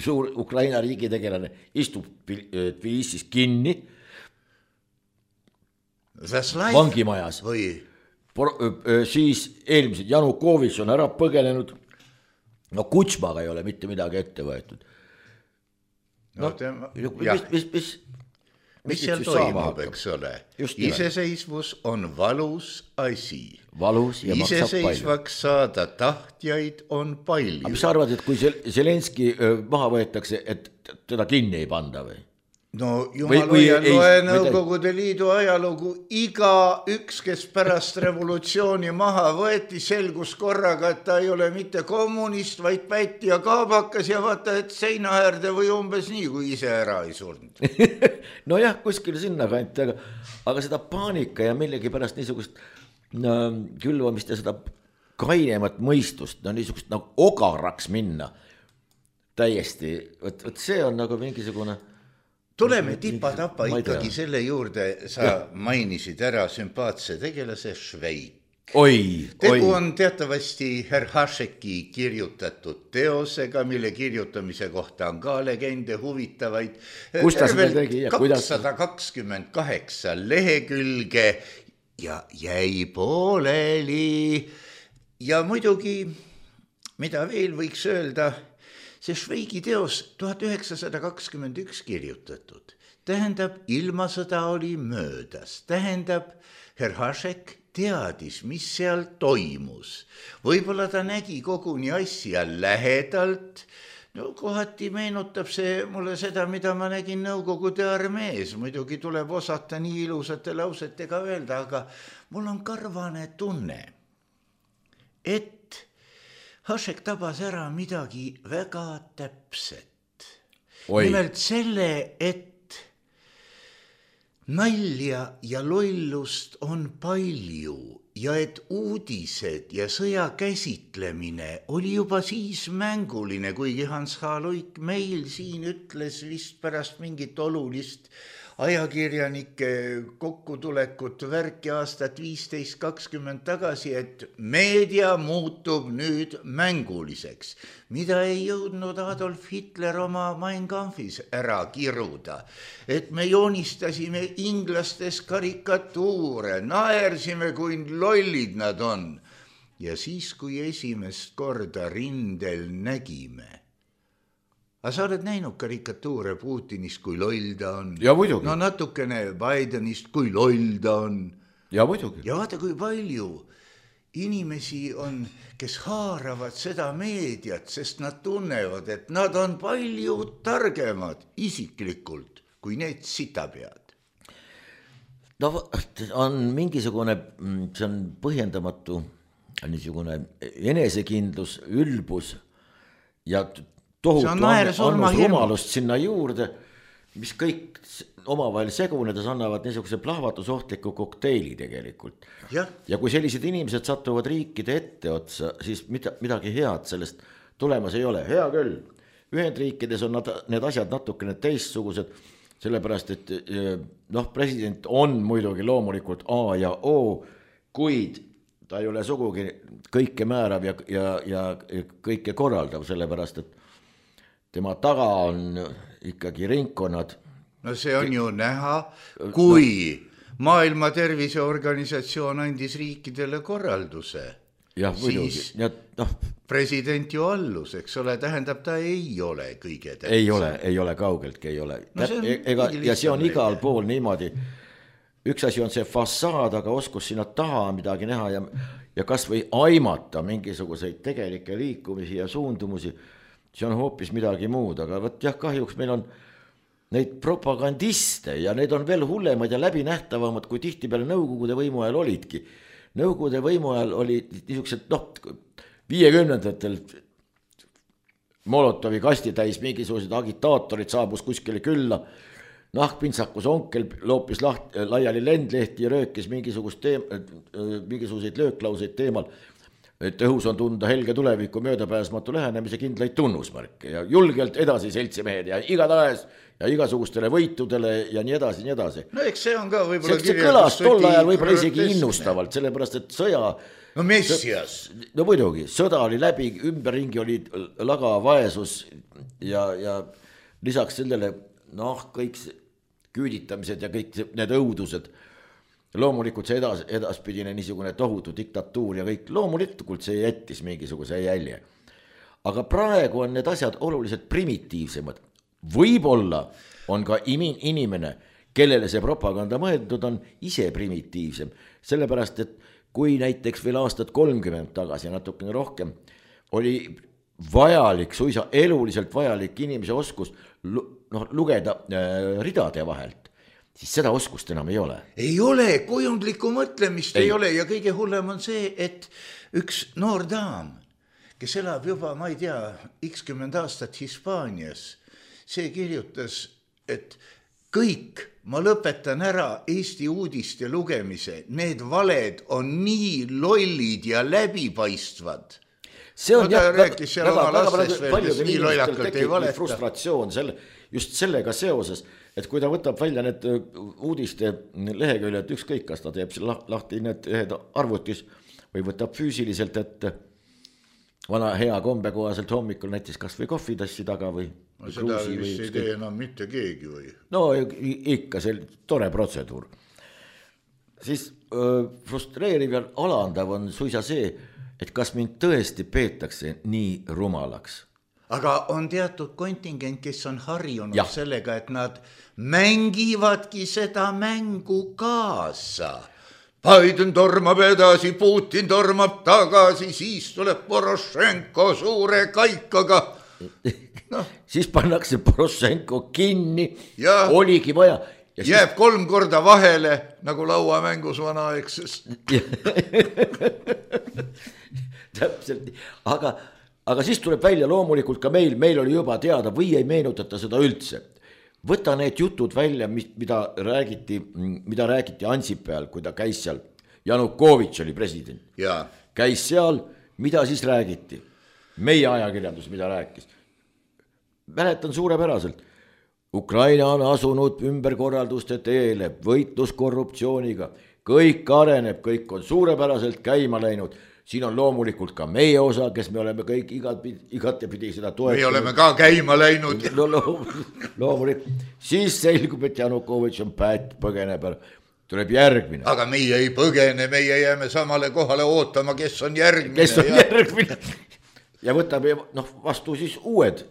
suur Ukraina riigitegelane, istub Tbilisis kinni vangimajas või siis eelmised Janukovitš on ära põgenenud, no Kutšmaga ei ole mitte midagi ette võetud. No, no mis, mis, mis, mis seal toimub, eks ole. Iseseisvus on valus asi. Valus ja iseseisvaks saada tahtjaid on palju. Aga mis sa arvad, et kui Zelenski maha võetakse, et teda kinni ei panda või? No jumal hoia, loe Nõukogude Liidu ajalugu, iga üks, kes pärast revolutsiooni maha võeti, selgus korraga, et ta ei ole mitte kommunist, vaid pätti ja kaabakas ja vaata, et seinaäärde või umbes nii, kui ise ära ei surnud. No jah, kuskil sinna kanti, aga, aga seda paanika ja millegi pärast niisugust no, külvamist ja seda kainemat mõistust, no niisugust nagu ogaraks minna täiesti, võt, võt see on nagu mingisugune... Tuleme tipa-tapa ikkagi selle juurde, sa ja. mainisid ära sümpaatse tegelase Šveik. Oi, Tegu oi. on teatavasti Herr Hašeki kirjutatud teosega, mille kirjutamise kohta on ka legende huvitavaid. Kus ta seda tegi ja kuidas? kakssada kakskümmend kaheksa lehekülge ja jäi pooleli. Ja muidugi, mida veel võiks öelda... See Šveigi teos tuhat üheksasada kakskümmend üks kirjutatud, tähendab, ilmasõda oli möödas, tähendab, Herr Hašek teadis, mis seal toimus. Võib-olla ta nägi koguni asja lähedalt, no kohati meenutab see mulle seda, mida ma nägin Nõukogude armees, muidugi tuleb osata nii ilusate lausetega öelda, aga mul on karvane tunne, et Hašek tabas ära midagi väga täpset. Oi. Nimelt selle, et nalja ja lollust on palju ja et uudised ja sõja käsitlemine oli juba siis mänguline, kuigi Hans H. Luik meil siin ütles vist pärast mingit olulist ajakirjanike kokkutulekut värki aastat viisteist kakskümmend tagasi, et meedia muutub nüüd mänguliseks, mida ei jõudnud Adolf Hitler oma Mein Kampfis ära kiruda. Et me joonistasime inglastes karikatuure, naersime, kui lollid nad on. Ja siis, kui esimest korda rindel nägime, aga sa oled näinud karikatuure Putinist, kui loll ta on. Ja muidugi. No natukene Bidenist, kui loll ta on. Ja muidugi. Ja vaata, kui palju inimesi on, kes haaravad seda meediat, sest nad tunnevad, et nad on palju targemad isiklikult, kui need sitapead. No on mingisugune, see on põhjendamatu niisugune enesekindlus, ülbus ja tohutu annus rumalust sinna juurde, mis kõik omavahel segunedes annavad niisuguse plahvatusohtliku kokteili tegelikult. Ja. ja kui sellised inimesed satuvad riikide etteotsa, siis mida, midagi head sellest tulemas ei ole. Hea küll, Ühendriikides on nad, need asjad natukene teistsugused, sellepärast, et noh, president on muidugi loomulikult A ja O, kuid ta ei ole sugugi kõike määrav ja, ja, ja kõike korraldav, sellepärast, et tema taga on ikkagi ringkonnad. No see on ju näha, kui no. Maailma Terviseorganisatsioon andis riikidele korralduse. Ja, siis ja, no. president ju allus, eks ole, tähendab, ta ei ole kõige tähtsam. Ei ole, ei ole, kaugeltki ei ole. No see Ega, ja see on igal pool niimoodi. Üks asi on see fassaad, aga oskus sinna taha midagi näha ja, ja kas või aimata mingisuguseid tegelikke liikumisi ja suundumusi. see on hoopis midagi muud, aga vot jah, kahjuks meil on neid propagandiste ja need on veel hullemad ja läbinähtavamad, kui tihtipeale Nõukogude võimu ajal olidki. Nõukogude võimu ajal oli niisugused, noh, viiekümnendatel Molotovi kasti täis mingisugused agitaatorid saabus kuskile külla, nahkpintsakus onkel loopis laht, laiali lendlehti ja röökis mingisugust teem, mingisuguseid lööklauseid teemal, et õhus on tunda helge tuleviku möödapääsmatu lähenemise kindlaid tunnusmärke ja julgelt edasi seltsimehed ja igatahes ja igasugustele võitudele ja nii edasi, nii edasi. No eks see on ka võib-olla see kõlas tol ajal võib-olla isegi innustavalt, sellepärast et sõja no messias. No muidugi, sõda oli läbi, ümberringi oli laga vaesus ja, ja lisaks sellele, noh, kõik küüditamised ja kõik need õudused, loomulikult see edas, edaspidine niisugune tohutu diktatuur ja kõik, loomulikult see jättis mingisuguse jälje. Aga praegu on need asjad oluliselt primitiivsemad. Võib-olla on ka inimene, kellele see propaganda mõeldud on, ise primitiivsem, sellepärast et kui näiteks veel aastat kolmkümmend tagasi, natukene rohkem, oli vajalik, suisa eluliselt vajalik inimese oskus noh, lugeda äh, ridade vahelt, siis seda oskust enam ei ole. Ei ole, kujundlikku mõtlemist ei. ei ole ja kõige hullem on see, et üks noor daam, kes elab juba, ma ei tea, ikskümmend aastat Hispaanias, see kirjutas, et kõik, ma lõpetan ära Eesti uudiste lugemise, need valed on nii lollid ja läbipaistvad. See on no, jah, rääkis seal väga, oma väga, lastes veel, kes nii lollakalt ei valeta. Frustratsioon selle, just sellega seoses, et kui ta võtab välja need uudiste leheküljed, ükskõik, kas ta teeb lahti need ühed arvutis või võtab füüsiliselt, et vana hea kombe kohaselt hommikul näiteks kas või kohvitassi taga või no seda vist ei tee enam mitte keegi või? No ikka, see tore protseduur. Siis öö, frustreeriv ja alandav on suisa see, et kas mind tõesti peetakse nii rumalaks. Aga on teatud kontingent, kes on harjunud ja. Sellega, et nad mängivadki seda mängu kaasa. Biden tormab edasi, Putin tormab tagasi, siis tuleb Porošenko suure kaikaga. No. Siis pannakse Porošenko kinni, ja oligi vaja. Ja jääb siis kolm korda vahele, nagu lauamängus vanaaegsest. Täpselt, aga, aga siis tuleb välja loomulikult ka meil, meil oli juba teada või ei meenutata seda üldse. Võta need jutud välja, mida räägiti, mida räägiti Ansipäeval, kui ta käis seal. Janukovitš oli president. Ja. Käis seal, mida siis räägiti? Meie ajakirjandus, mida rääkis. Mäletan suurepäraselt. Ukraina on asunud ümberkorralduste teele, võitlus korruptsiooniga. Kõik areneb, kõik on suurepäraselt käima läinud. Siin on loomulikult ka meie osa, kes me oleme kõik igatepidi seda toetanud. Me oleme ka käima läinud. No, loomulikult. Siis selgub, et Janukovitš on päät põgeneb, tuleb järgmine. Aga meie ei põgene, meie jääme samale kohale ootama, kes on järgmine. Kes on ja. järgmine. Ja võtab noh, vastu siis uued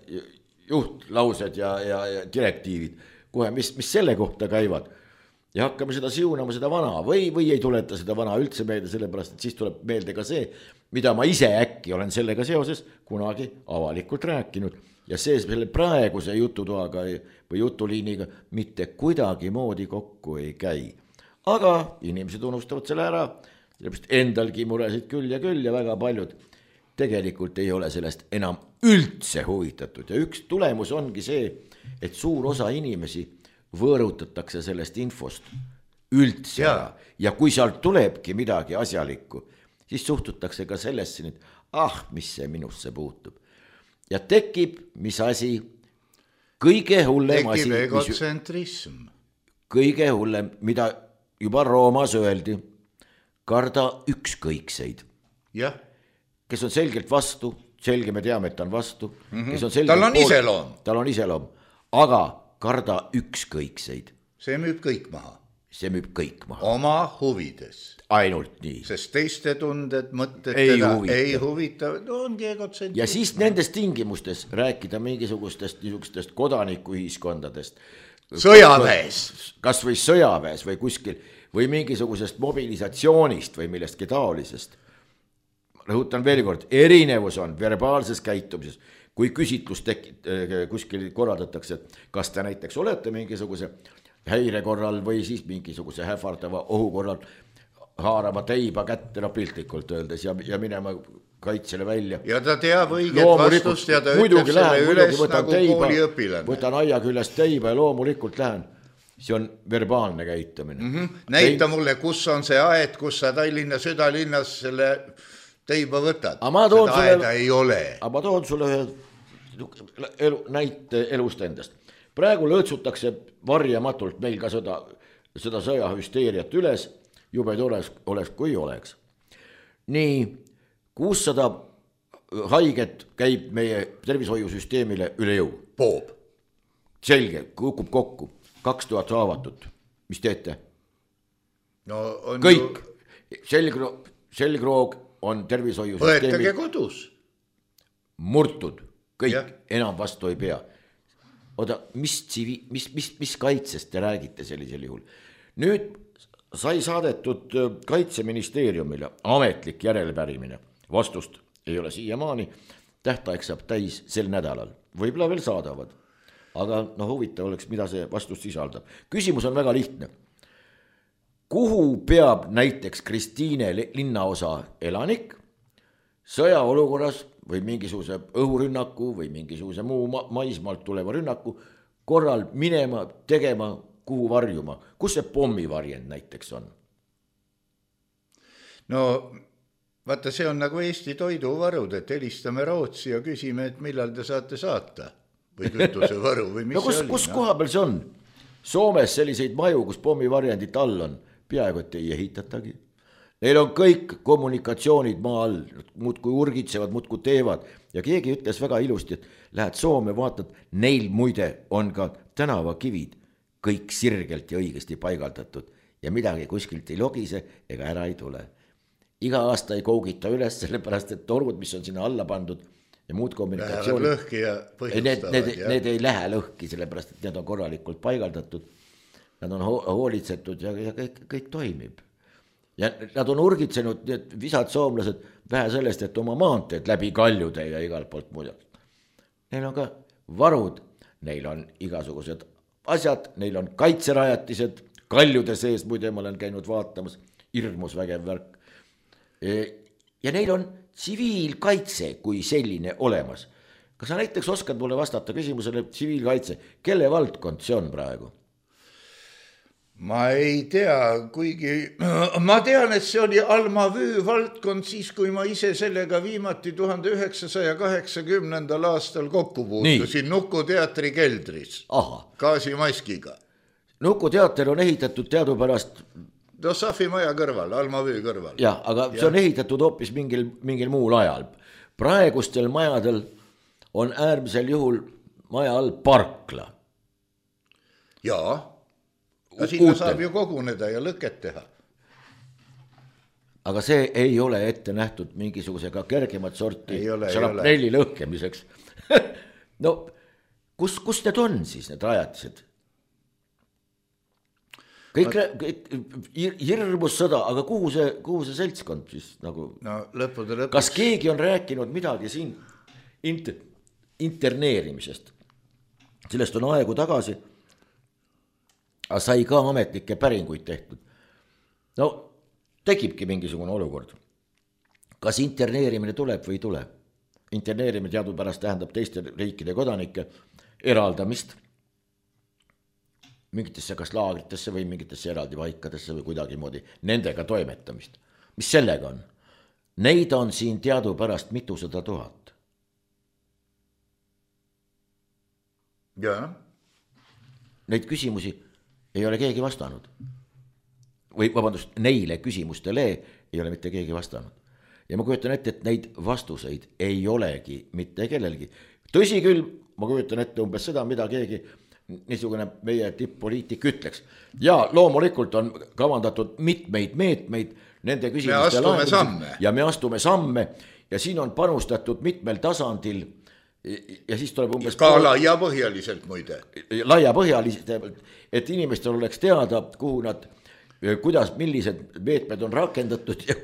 juhtlaused ja, ja, ja direktiivid, kohe, mis, mis selle kohta käivad. Ja hakkame seda siunama, seda vana või, või ei tuleta seda vana üldse meelde, sellepärast, et siis tuleb meelde ka see, mida ma ise äkki olen sellega seoses kunagi avalikult rääkinud. Ja see selle praeguse jututoaga või jutuliiniga mitte kuidagi moodi kokku ei käi. Aga inimesed unustavad selle ära, sellepärast endalgi muresid küll ja küll ja väga paljud tegelikult ei ole sellest enam üldse huvitatud. Ja üks tulemus ongi see, et suur osa inimesi võõrutatakse sellest infost üldse ja. ja kui sealt tulebki midagi asjalikku, siis suhtutakse ka sellesse, et ah, mis see minusse puutub. Ja tekib, mis asi, kõige hullem asi. Tekib egotsentrism. Kõige hullem, mida juba Roomas öeldi, karda ükskõikseid. Jah. Kes on selgelt vastu, selge me teame, et ta on vastu. Mm-hmm. Kes on selgelt tal on poolt, iseloom. Tal on iseloom, aga karda ükskõikseid. See müüb kõik maha. See müüb kõik maha. Oma huvides. Ainult nii. Sest teiste tunded, mõtted ei teda huvita. ei huvita. No ongi egotsentrism. Ja siis nendes tingimustes rääkida mingisugustest niisugustest kodanikuühiskondadest. Sõjaväes. Kas või sõjaväes või kuskil või mingisugusest mobilisatsioonist või millestki taolisest. Rõhutan veel kord, erinevus on verbaalses käitumises. kui küsitlus tekit- kuskil korraldatakse, kas te näiteks olete mingisuguse häire korral või siis mingisuguse hähvardava ohu korral haarama teiba kätte, no piltlikult öeldes ja, ja minema kaitsele välja. Ja ta teab õiget vastust ja ta ütleb selle üles nagu kooliõpilane. Võtan aia küljest teiba ja loomulikult lähen. See on verbaalne käitumine. Mm -hmm. Näita Teib... mulle, kus on see aed, kus sa Tallinna südalinnas selle teiba võtad. Seda sulle... aeda ei ole. Aga ma toon sulle ühe elu, näite elust endast. Praegu lõõtsutakse varjamatult meil ka seda, seda sõjahüsteeriat üles, jube tores oleks, kui oleks. Nii, kuussada haiget käib meie tervishoiusüsteemile üle jõu. Poob. Selge, kukub kokku. Kaks tuhat haavatut. Mis teete? No on kõik. Ju... Selgroog, selgroog on tervishoiusüsteemil. Võetage kodus. Murtud. Kõik ja. Enam vastu ei pea. Oda, mis, mis, mis, mis kaitsest te räägite sellisel juhul? Nüüd sai saadetud Kaitseministeeriumile ametlik järelpärimine. Vastust ei ole siiamaani. Tähtaeg saab täis sel nädalal. Võib-olla veel saadavad. Aga no huvitav oleks, mida see vastus sisaldab. Küsimus on väga lihtne. Kuhu peab näiteks Kristiine linnaosa elanik sõjaolukorras või mingisuguse õhurünnaku või mingisuguse muu ma maismaalt tuleva rünnaku korral minema, tegema, kuhu varjuma? Kus see pommivarjend näiteks on? No vaata, see on nagu Eesti toiduvarud, et helistame Rootsi ja küsime, et millal te saate saata või kütusevaru või mis no, kus, see oli? Kus no? Koha peal see on? Soomes selliseid maju, kus pommivarjendit all on, peaaegu et ei ehitatagi. Neil on kõik kommunikatsioonid maa all, muudkui urgitsevad, muudkui teevad ja keegi ütles väga ilusti, et lähed Soome, vaatad, neil muide on ka tänavakivid kõik sirgelt ja õigesti paigaldatud ja midagi kuskilt ei logise ega ära ei tule. Iga aasta ei kougita üles, sellepärast et torud, mis on sinna alla pandud ja muud kommunikatsioonid, lõhki ja need, need, need ei lähe lõhki, sellepärast et need on korralikult paigaldatud, nad on hoolitsetud ja, ja kõik, kõik toimib. Ja nad on urgitsenud, need visad soomlased, vähe sellest, et oma maanteed läbi kaljude ja igalt poolt muud. Neil on ka varud, neil on igasugused asjad, neil on kaitserajatised, kaljude sees, muide ma olen käinud vaatamas, hirmus vägev värk. Ja neil on tsiviilkaitse kui selline olemas. Kas sa näiteks oskad mulle vastata küsimusele tsiviilkaitse, kelle valdkond see on praegu? Ma ei tea, kuigi ma tean, et see oli Alma Vüü valdkond siis, kui ma ise sellega viimati tuhande üheksasaja kaheksakümnendal aastal kokku puutusin Nuku teatri keldris. Aha. Gaasimaskiga. Nuku teater on ehitatud teadupärast Dossafi maja kõrval, Alma Vüü kõrval. Ja, aga ja. See on ehitatud hoopis mingil, mingil muul ajal. Praegustel majadel on äärmisel juhul maja all parkla. Jaa. Ja sinna Uutel. Saab ju koguneda ja lõket teha. Aga see ei ole ette nähtud mingisugusega kergemat sorti šarapnelli lõhkemiseks. No, kus, kus need on siis, need rajatised? Kõik, kõik hirmus sõda, aga kuhu see, kuhu see seltskond siis nagu... No, lõppude lõpuks. Kas keegi on rääkinud midagi siin inter, interneerimisest? Sellest on aegu tagasi... Aga sai ka ametlikke päringuid tehtud. No, tekibki mingisugune olukord. Kas interneerimine tuleb või ei tule? Interneerimine teadupärast tähendab teiste riikide kodanike eraldamist mingitesse kas laagritesse või mingitesse eraldi paikadesse või kuidagi moodi nendega toimetamist. Mis sellega on? Neid on siin teadupärast mitusada tuhat. Jaa. Neid küsimusi ei ole keegi vastanud. Või vabandust, neile küsimustele ei ole mitte keegi vastanud. Ja ma kujutan ette, et neid vastuseid ei olegi mitte kellelgi. Tõsi küll, ma kujutan ette umbes seda, mida keegi niisugune meie tipp-poliitik ütleks. Ja loomulikult on kavandatud mitmeid meetmeid nende küsimuste lahendamiseks. Ja me astume samme ja siin on panustatud mitmel tasandil ja siis tuleb umbes ka laiapõhjaliselt muide. Laiapõhjaliselt, et inimestel oleks teada, kuhu nad, kuidas, millised meetmed on rakendatud ja,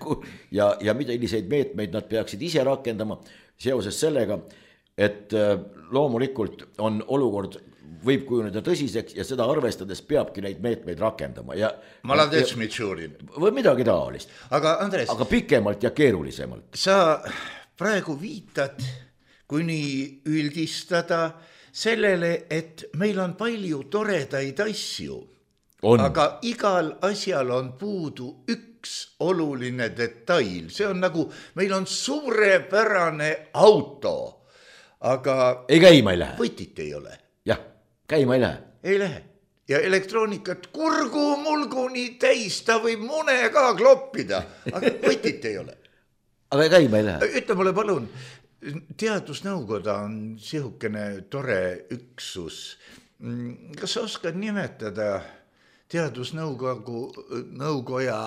ja, ja milliseid meetmeid nad peaksid ise rakendama seoses sellega, et loomulikult on olukord, võib kujuneda tõsiseks ja seda arvestades peabki neid meetmeid rakendama ja Maladets, Mitšurin. Või midagi taolist. Aga Andres, aga pikemalt ja keerulisemalt. Sa praegu viitad, kui nii üldistada, sellele, et meil on palju toredaid asju, on. Aga igal asjal on puudu üks oluline detail. See on nagu, meil on suurepärane auto, aga ei käima ei lähe. Võtit ei ole. Jah, käima ei lähe. Ei lähe. Ja elektroonikat kurgu mulguni täis, ta võib mune ka kloppida, aga võtit ei ole. Aga käima ei lähe. Ütle mulle palun, teadusnõukoda on sihukene tore üksus. Kas sa oskad nimetada teadusnõukogu nõukoja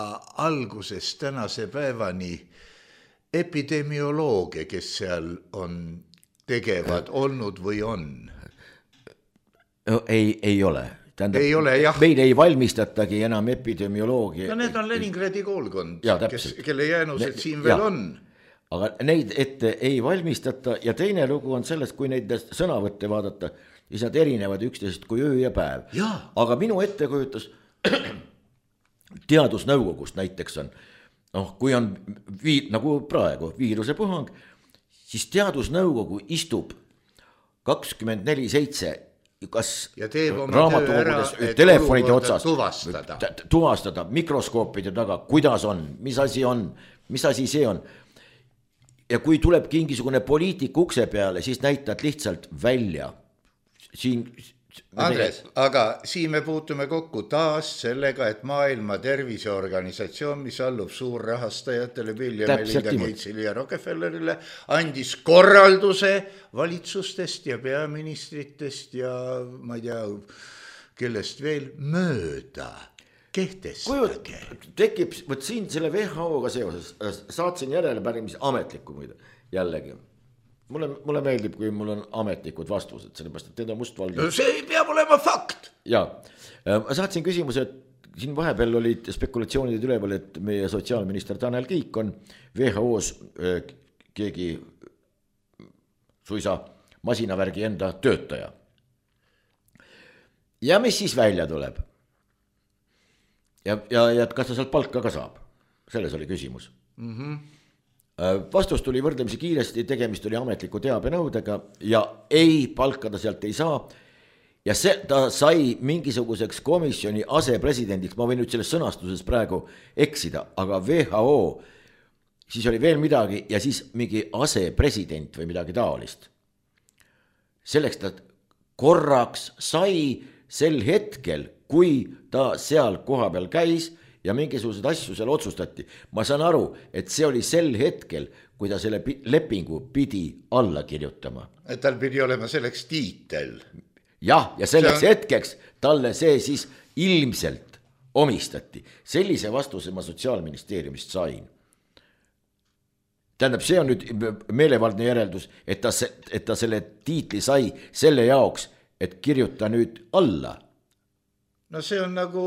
algusest tänase päevani epidemiolooge, kes seal on tegevad olnud või on? No, ei, ei ole. Tähendab, ei ole, jah. Meil ei valmistatagi enam epidemioloogia. No need on Leningradi koolkond, ja, kes, kelle jäänused ne, siin veel ja. On. Aga neid ette ei valmistata ja teine lugu on sellest, kui neid sõnavõtte vaadata, siis nad erinevad üksteisest kui öö ja päev. Ja. Aga minu ettekujutus teadusnõukogust näiteks on, noh, kui on vii, nagu praegu viirusepuhang, siis teadusnõukogu istub kakskümmend neli seitse kas raamatukogudes, telefonide otsas tuvastada. tuvastada mikroskoopide taga, kuidas on, mis asi on, mis asi see on. Ja kui tuleb mingisugune poliitik ukse peale, siis näitad lihtsalt välja. Siin, Andres, aga siin me puutume kokku taas sellega, et maailma terviseorganisatsioon, mis allub suurrahastajatele Bill ja Melinda Gatesile ja Rockefellerile, andis korralduse valitsustest ja peaministritest ja ma ei tea, kellest veel mööda. Kehtestage. Tekib, võt siin selle V H O-ga seoses, saatsin järelepärimise ametlikku muide, jällegi. Mulle, mulle meeldib, kui mul on ametlikud vastused, sellepärast, et need on mustvalge. No see peab olema fakt. Ja, ma saatsin küsimuse, et siin vahepeal olid spekulatsioonid üleval, et meie sotsiaalminister Tanel Kiik on V H O-s keegi suisa masinavärgi enda töötaja. Ja mis siis välja tuleb? Ja, ja, ja kas ta sealt palka ka saab? Selles oli küsimus. Mm-hmm. Vastus tuli võrdlemisi kiiresti, tegemist oli ametliku teabenõudega ja ei, palka ta sealt ei saa. Ja see, ta sai mingisuguseks komisjoni asepresidendiks, ma võin nüüd selles sõnastuses praegu eksida, aga V H O, siis oli veel midagi ja siis mingi asepresident või midagi taolist. Selleks ta korraks sai sel hetkel, kui ta seal koha peal käis ja mingisugused asju seal otsustati. Ma saan aru, et see oli sel hetkel, kui ta selle lepingu pidi alla kirjutama. Et tal pidi olema selleks tiitel. Jah, ja selleks see on... hetkeks talle see siis ilmselt omistati. Sellise vastuse ma Sotsiaalministeeriumist sain. Tähendab, see on nüüd meelevaldne järeldus, et ta, et ta selle tiitli sai selle jaoks, et kirjuta nüüd alla. No see on nagu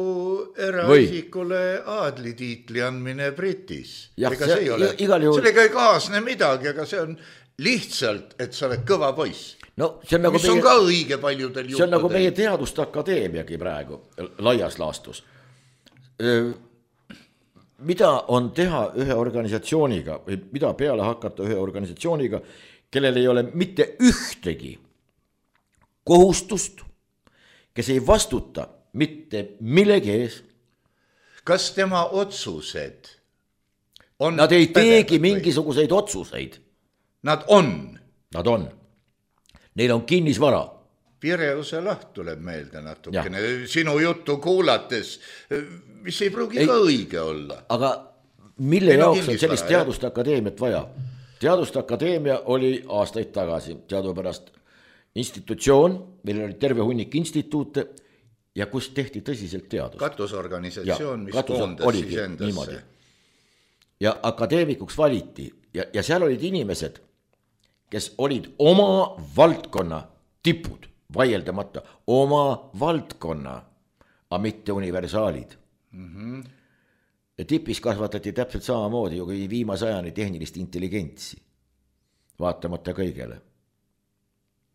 eraisikule aadlitiitli andmine Britis. Ja, ega see, see ei ole, juhul... sellega ei kaasne midagi, aga see on lihtsalt, et sa oled kõva poiss. No, see on nagu mis meie, on ka õige paljudel juhtudel. See on nagu meie teaduste akadeemiagi praegu laias laastus. Mida on teha ühe organisatsiooniga või mida peale hakata ühe organisatsiooniga, kellel ei ole mitte ühtegi kohustust, kes ei vastuta mitte millegi ees. Kas tema otsused on... Nad ei teegi mingisuguseid otsuseid. Nad on. Nad on. Neil on kinnisvara. Pireuse laht tuleb meelde natukene. Ja. Sinu juttu kuulates, mis ei pruugi ei, ka õige olla. Aga mille Neil jaoks on sellist teaduste akadeemiat vaja? Teaduste akadeemia oli aastaid tagasi teadupärast institutsioon, meil oli terve hunnik instituute ja kus tehti tõsiselt teadust. Katusorganisatsioon, mis katus koondas siis endasse. Niimoodi. Ja akadeemikuks valiti ja, ja seal olid inimesed, kes olid oma valdkonna tipud, vaieldamata oma valdkonna, aga mitte universaalid. Mm-hmm. Ja tipis kasvatati täpselt samamoodi ju kui viimase ajani tehnilist intelligentsi, vaatamata kõigele.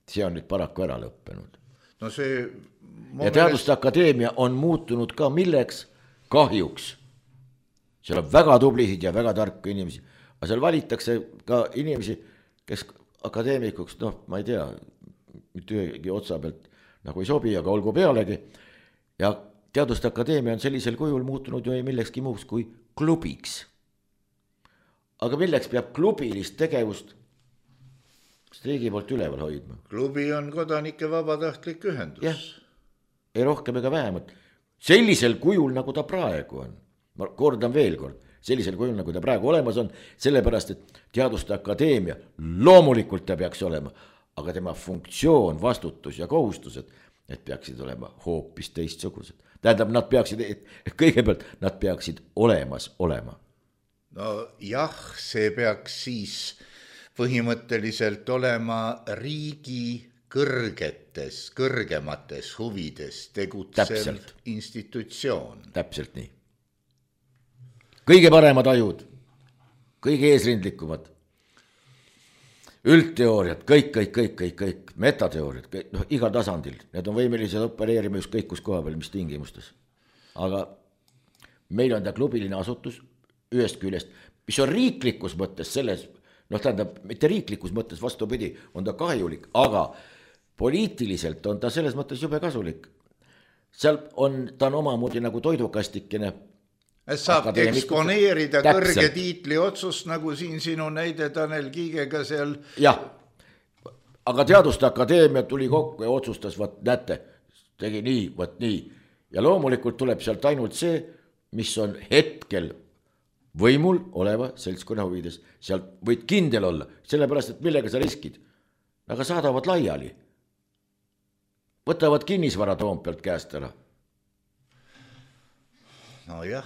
see on nüüd paraku ära lõppenud. no see ja Teaduste Akadeemia on muutunud ka milleks kahjuks. seal on väga tublisid ja väga tarku inimesi, aga seal valitakse ka inimesi, kes akadeemikuks, noh, ma ei tea, mitte ühegi otsa pealt nagu ei sobi, aga olgu pealegi. Ja Teaduste Akadeemia on sellisel kujul muutunud ju ei millekski muuks kui klubiks. Aga milleks peab klubilist tegevust riigi poolt üleval hoidma? Klubi on kodanike vabatahtlik ühendus. Jah, ei rohkem ega vähemalt. Sellisel kujul, nagu ta praegu on. Ma kordan veel kord, sellisel kujul, nagu ta praegu olemas on, sellepärast, et Teaduste Akadeemia loomulikult ta peaks olema, aga tema funktsioon, vastutus ja kohustused, need peaksid olema hoopis teistsugused. Tähendab, nad peaksid, kõigepealt nad peaksid olemas olema. No jah, see peaks siis põhimõtteliselt olema riigi kõrgetes, kõrgemates huvides tegutsev Täpselt. institutsioon. Täpselt nii. Kõige paremad ajud, kõige eesrindlikumad, üldteooriad, kõik, kõik, kõik, kõik, kõik, metateooriad, kõik, noh, igal tasandil, need on võimelised opereerima just kõik kus koha peal, mis tingimustes. Aga meil on ta klubiline asutus ühest küljest, mis on riiklikus mõttes selles, noh tähendab, mitte riiklikus mõttes vastupidi, on ta kahjulik, aga poliitiliselt on ta selles mõttes jube kasulik. Seal on, ta on omamoodi nagu toidukastikene. Saab eksponeerida Täpselt. kõrge tiitli otsust, nagu siin sinu näide Tanel Kiigega seal. Jah, aga Teaduste Akadeemia tuli kokku ja otsustas, vaat näete, tegi nii, vaat nii. Ja loomulikult tuleb sealt ainult see, mis on hetkel võimul oleva seltskonna huvides. Sealt võid kindel olla, sellepärast, et millega sa riskid. Aga saadavad laiali. Võtavad kinnisvara Toompealt käest ära. No jah.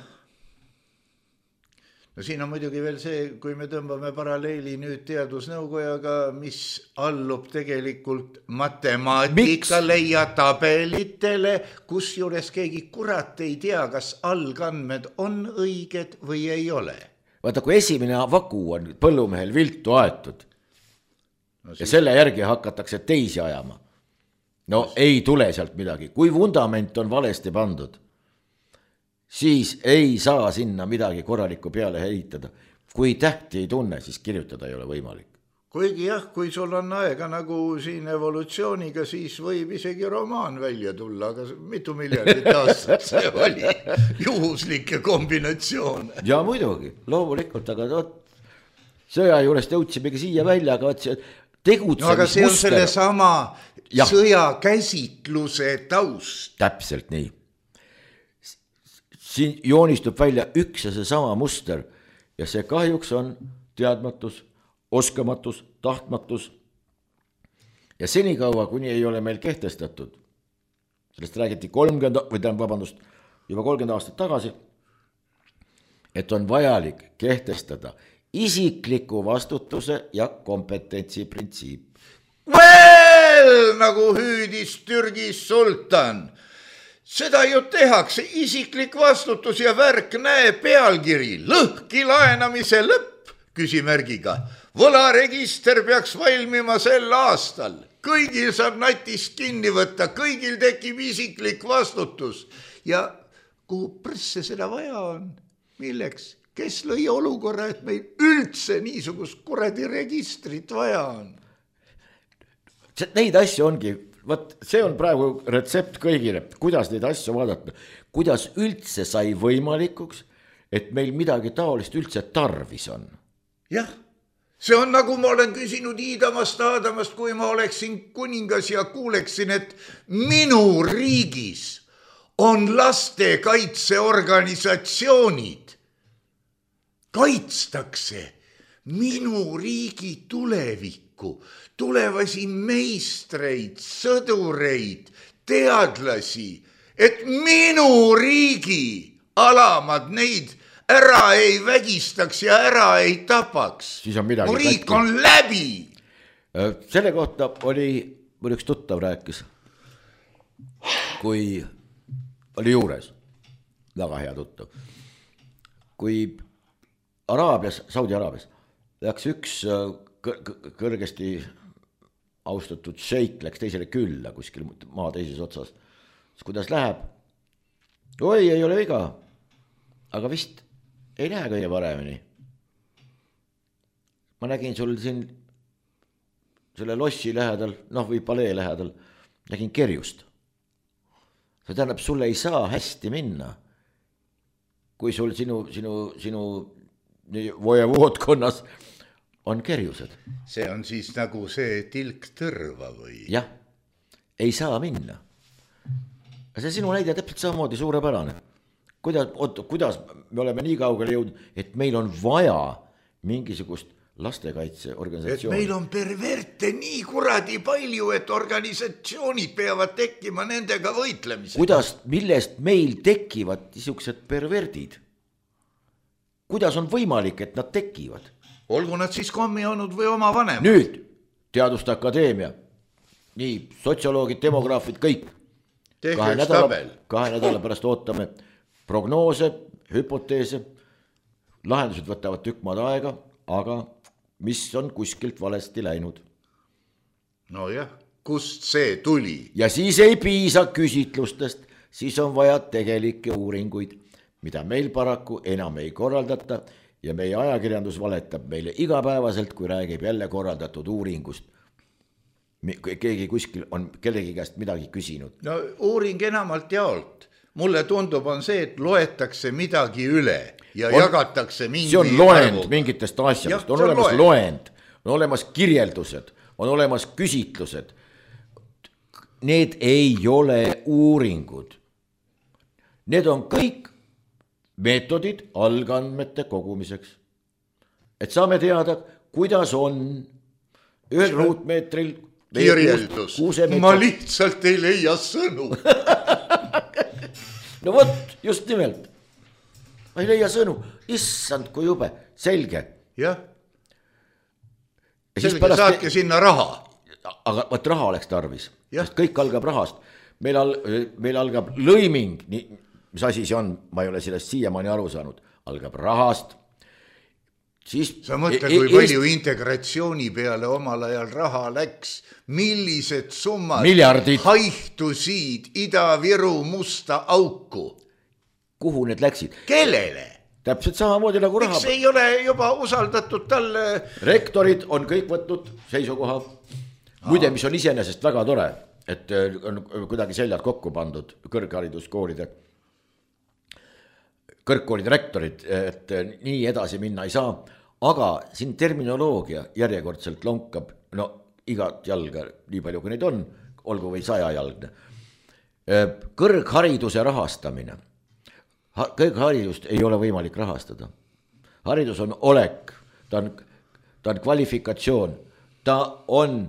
No siin on muidugi veel see, kui me tõmbame paralleeli nüüd teadusnõukojaga, mis allub tegelikult matemaatikale ja tabelitele, kus juures keegi kurat ei tea, kas algandmed on õiged või ei ole. Vaata, kui esimene vaku on põllumehel viltu aetud no, siis... ja selle järgi hakatakse teisi ajama, no siis... ei tule sealt midagi. Kui vundament on valesti pandud, siis ei saa sinna midagi korralikku peale heitada. Kui tähti ei tunne, siis kirjutada ei ole võimalik. Kuigi jah, kui sul on aega nagu siin evolutsiooniga, siis võib isegi romaan välja tulla, aga mitu miljardit aastat see oli juhuslikke kombinatsioon. Ja muidugi, loomulikult, aga tot, sõja juurest jõudsimegi siia välja, aga see tegutsemismuster. No aga see on selle sama ja. sõja käsitluse taust. Täpselt nii. Siin joonistub välja üks ja see sama muster ja see kahjuks on teadmatus, oskamatus, tahtmatus ja senikaua, kuni ei ole meil kehtestatud, sellest räägiti kolmkümmend, või tähendab, vabandust, juba kolmkümmend aastat tagasi, et on vajalik kehtestada isikliku vastutuse ja kompetentsi printsiip. Well, nagu hüüdis Türgi sultan. Seda ju tehakse, isiklik vastutus ja värk, näe pealkiri, lõhki laenamise lõpp, küsimärgiga. Võlaregister peaks valmima sel aastal. Kõigil saab natist kinni võtta, kõigil tekib isiklik vastutus. Ja kuhu presse seda vaja on? Milleks? Kes lõi olukorra, et meil üldse niisugust kuradi registrit vaja on? Neid asju ongi... Vaat see on praegu retsept kõigile, kuidas neid asju vaadata, kuidas üldse sai võimalikuks, et meil midagi taolist üldse tarvis on. Jah, see on nagu ma olen küsinud Iidamast Aadamast, kui ma oleksin kuningas ja kuuleksin, et minu riigis on lastekaitseorganisatsioonid. Kaitstakse minu riigi tulevikku. Tulevasi meistreid, sõdureid, teadlasi, et minu riigi alamad neid ära ei vägistaks ja ära ei tapaks. Mu riik on läbi. Selle kohta oli, mul üks tuttav rääkis, kui oli juures, väga hea tuttav, kui Araabias, Saudi Araabias läks üks kõrgesti austatud šeik läks teisele külla kuskil maa teises otsas. Siis kuidas läheb? Oi, ei ole viga. Aga vist ei lähe kõige paremini. Ma nägin sul siin selle lossi lähedal, noh või palee lähedal, nägin kerjust. See tähendab, sulle ei saa hästi minna, kui sul sinu, sinu, sinu vojevoodkonnas on kerjused. See on siis nagu see tilk tõrva või? Jah, ei saa minna. See sinu näide täpselt samamoodi suurepärane. Kuidas, oot, kuidas me oleme nii kaugele jõudnud, et meil on vaja mingisugust lastekaitseorganisatsiooni. Et meil on perverte nii kuradi palju, et organisatsioonid peavad tekkima nendega võitlemisega. Kuidas, millest meil tekivad niisugused perverdid? Kuidas on võimalik, et nad tekivad? Olgu nad siis kommi olnud või oma vanemad. Nüüd Teaduste Akadeemia, nii sotsioloogid, demograafid, kõik. Kahe nädala, kahe nädala pärast ootame prognoose, hüpoteese, lahendused võtavad tükk maad aega, aga mis on kuskilt valesti läinud. No jah, kust see tuli? Ja siis ei piisa küsitlustest, siis on vaja tegelikke uuringuid, mida meil paraku enam ei korraldata ja meie ajakirjandus valetab meile igapäevaselt, kui räägib jälle korraldatud uuringust. Keegi kuskil on kellegi käest midagi küsinud. No uuring enamalt jaolt. Mulle tundub on see, et loetakse midagi üle ja on, jagatakse mingi see on loend arvu. Mingitest asjadest, on, on olemas loend. loend, on olemas kirjeldused, on olemas küsitlused. Need ei ole uuringud. Need on kõik meetodid algandmete kogumiseks. Et saame teada, kuidas on ühel ruutmeetril kirjeldus. Ma lihtsalt ei leia sõnu. No võt, just nimelt. Ma ei leia sõnu. Issand, kui jube. Selge. Jah. Selge, pärast... saatke sinna raha. Aga võt raha oleks tarvis. Sest kõik algab rahast. Meil, al... meil algab lõiming. Mis asi see on? Ma ei ole sellest siiamaani aru saanud. Algab rahast. Siis sa mõtle, kui palju Eest... integratsiooni peale omal ajal raha läks, millised summad miljardid haihtusid Ida-Viru musta auku. Kuhu need läksid? Kellele? Täpselt samamoodi nagu raha. Miks ei ole juba usaldatud talle? Rektorid on kõik võtnud seisukoha. Muide, mis on iseenesest väga tore, et on kuidagi seljad kokku pandud kõrghariduskoolide kõrgkoolide rektorid, et nii edasi minna ei saa. Aga siin terminoloogia järjekordselt lonkab, no igat jalga, nii palju kui neid on, olgu või saja jalgne. Kõrghariduse rahastamine. Kõrgharidust ei ole võimalik rahastada. Haridus on olek, ta on, ta on kvalifikatsioon, ta on,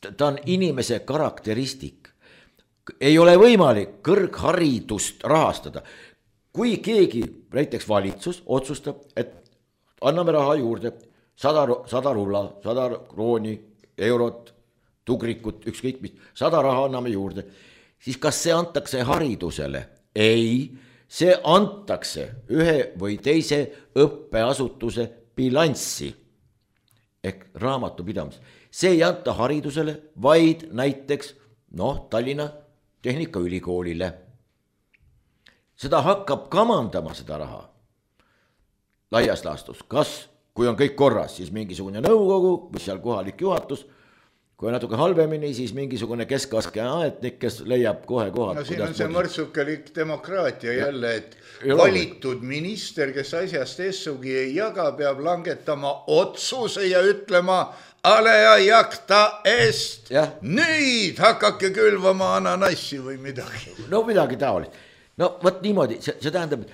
ta on inimese karakteristik. Ei ole võimalik kõrgharidust rahastada. Kui keegi, näiteks valitsus, otsustab, et anname raha juurde, sada, sada rulla, sada krooni, eurot, tugrikut, ükskõik mis, sada raha anname juurde, siis kas see antakse haridusele? Ei, see antakse ühe või teise õppeasutuse bilanssi ehk raamatupidamis. See ei anta haridusele, vaid näiteks noh, Tallinna Tehnikaülikoolile. Seda hakkab kamandama seda raha laias laastus. Kas, kui on kõik korras, siis mingisugune nõukogu või seal kohalik juhatus, kui on natuke halvemini, siis mingisugune keskaske aetnik, kes leiab kohe kohad. No siin on see mõrtsukelik demokraatia jälle, et ja valitud minister, kes asjast essugi ei jaga, peab langetama otsuse ja ütlema aleja jakta est. Ja. Nüüd hakake külvama ananassi või midagi. No midagi taolist. No võt niimoodi, see, see tähendab,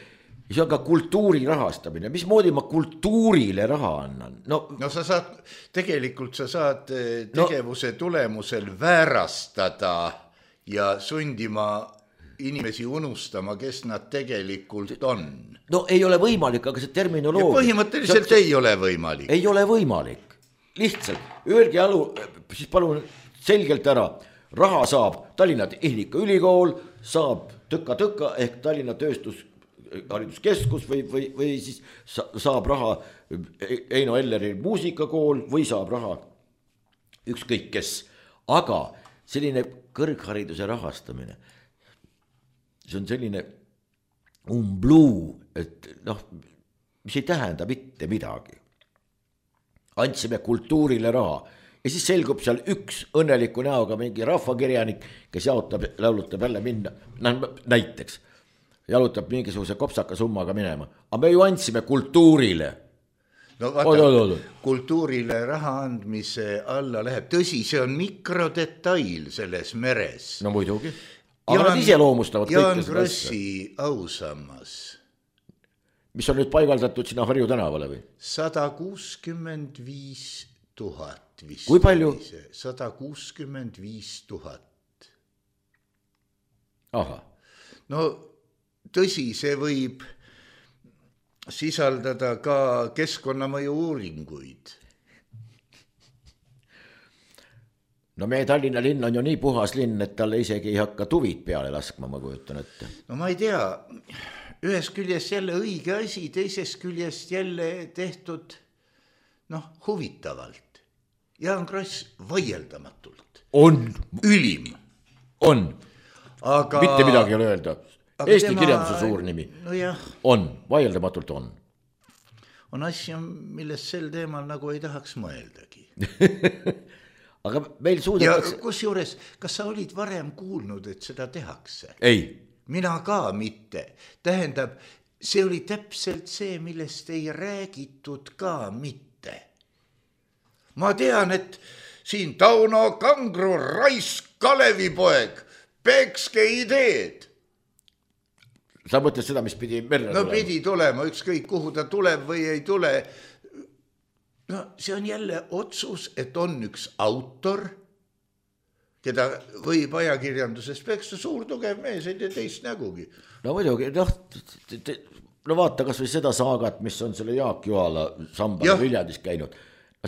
see on ka kultuuri rahastamine. Mismoodi ma kultuurile raha annan? No, no sa saad, tegelikult sa saad tegevuse no, tulemusel väärastada ja sundima inimesi unustama, kes nad tegelikult on. No ei ole võimalik, aga see terminoloogia... Ja põhimõtteliselt see, ei ole võimalik. Ei ole võimalik. Lihtsalt, öelge alu, siis palun selgelt ära, raha saab Tallinna Tehnikaülikool, saab tõka-tõka ehk Tallinna tööstus hariduskeskus või, või, või siis saab raha Eino Elleri muusikakool või saab raha ükskõik kes, aga selline kõrghariduse rahastamine, see on selline umbluu, et noh, mis ei tähenda mitte midagi. Andsime kultuurile raha ja siis selgub seal üks õnneliku näoga mingi rahvakirjanik, kes jaotab, laulutab jälle minna, näiteks jalutab mingisuguse kopsaka summaga minema, aga me ju andsime kultuurile. No vaata, kultuurile raha andmise alla läheb, tõsi, see on mikrodetail selles meres. No muidugi, aga nad ise loomustavad Jaan Krossi ausammas. Mis on nüüd paigaldatud sinna Harju tänavale või? sada kuuskümmend viis tuhat vist. Kui palju? sada kuuskümmend viis tuhat. Aha. No tõsi, see võib sisaldada ka keskkonnamõju uuringuid. No meie Tallinna linn on ju nii puhas linn, et talle isegi ei hakka tuvid peale laskma, ma kujutan ette. No ma ei tea, ühes küljest jälle õige asi, teisest küljest jälle tehtud noh, huvitavalt. Jaan Kross vaieldamatult. On. Ülim. On. Aga... Mitte midagi ei ole öelda. Eesti tema... kirjanduse suur nimi. No jah. On, vaieldamatult on. On asju, millest sel teemal nagu ei tahaks mõeldagi. Aga meil suudetakse... Ja kus juures, kas sa olid varem kuulnud, et seda tehakse? Ei. Mina ka mitte. Tähendab, see oli täpselt see, millest ei räägitud ka mitte. Ma tean, et siin Tauno Kangro, Raisk, Kalevipoeg, pekske ideed. Sa mõtled seda, mis pidi merre no, tulema? No pidi tulema, ükskõik kuhu ta tuleb või ei tule. No see on jälle otsus, et on üks autor, keda võib ajakirjanduses peksta, suur tugev mees, ei tee teist nägugi. No muidugi, noh, no vaata kas või seda saagat, mis on selle Jaak Joala samba Viljandis käinud.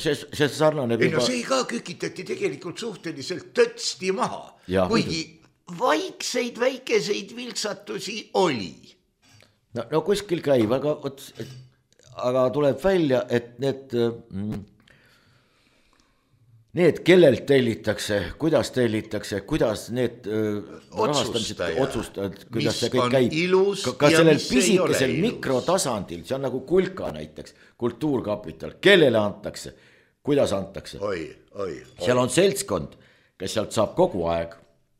See, see sarnane... Ei, no see ka kükitati tegelikult suhteliselt tõtsti maha, ja, kuigi vaikseid väikeseid vilksatusi oli. No, no kuskil käib, aga, aga tuleb välja, et need, need kellelt tellitakse, kuidas tellitakse, kuidas need rahastamised otsustavad, kuidas see kõik käib. Ka sellel pisikesel mikrotasandil, see on nagu Kulka näiteks, Kultuurkapital, kellele antakse, kuidas antakse. Oi, oi, oi. Seal on seltskond, kes sealt saab kogu aeg.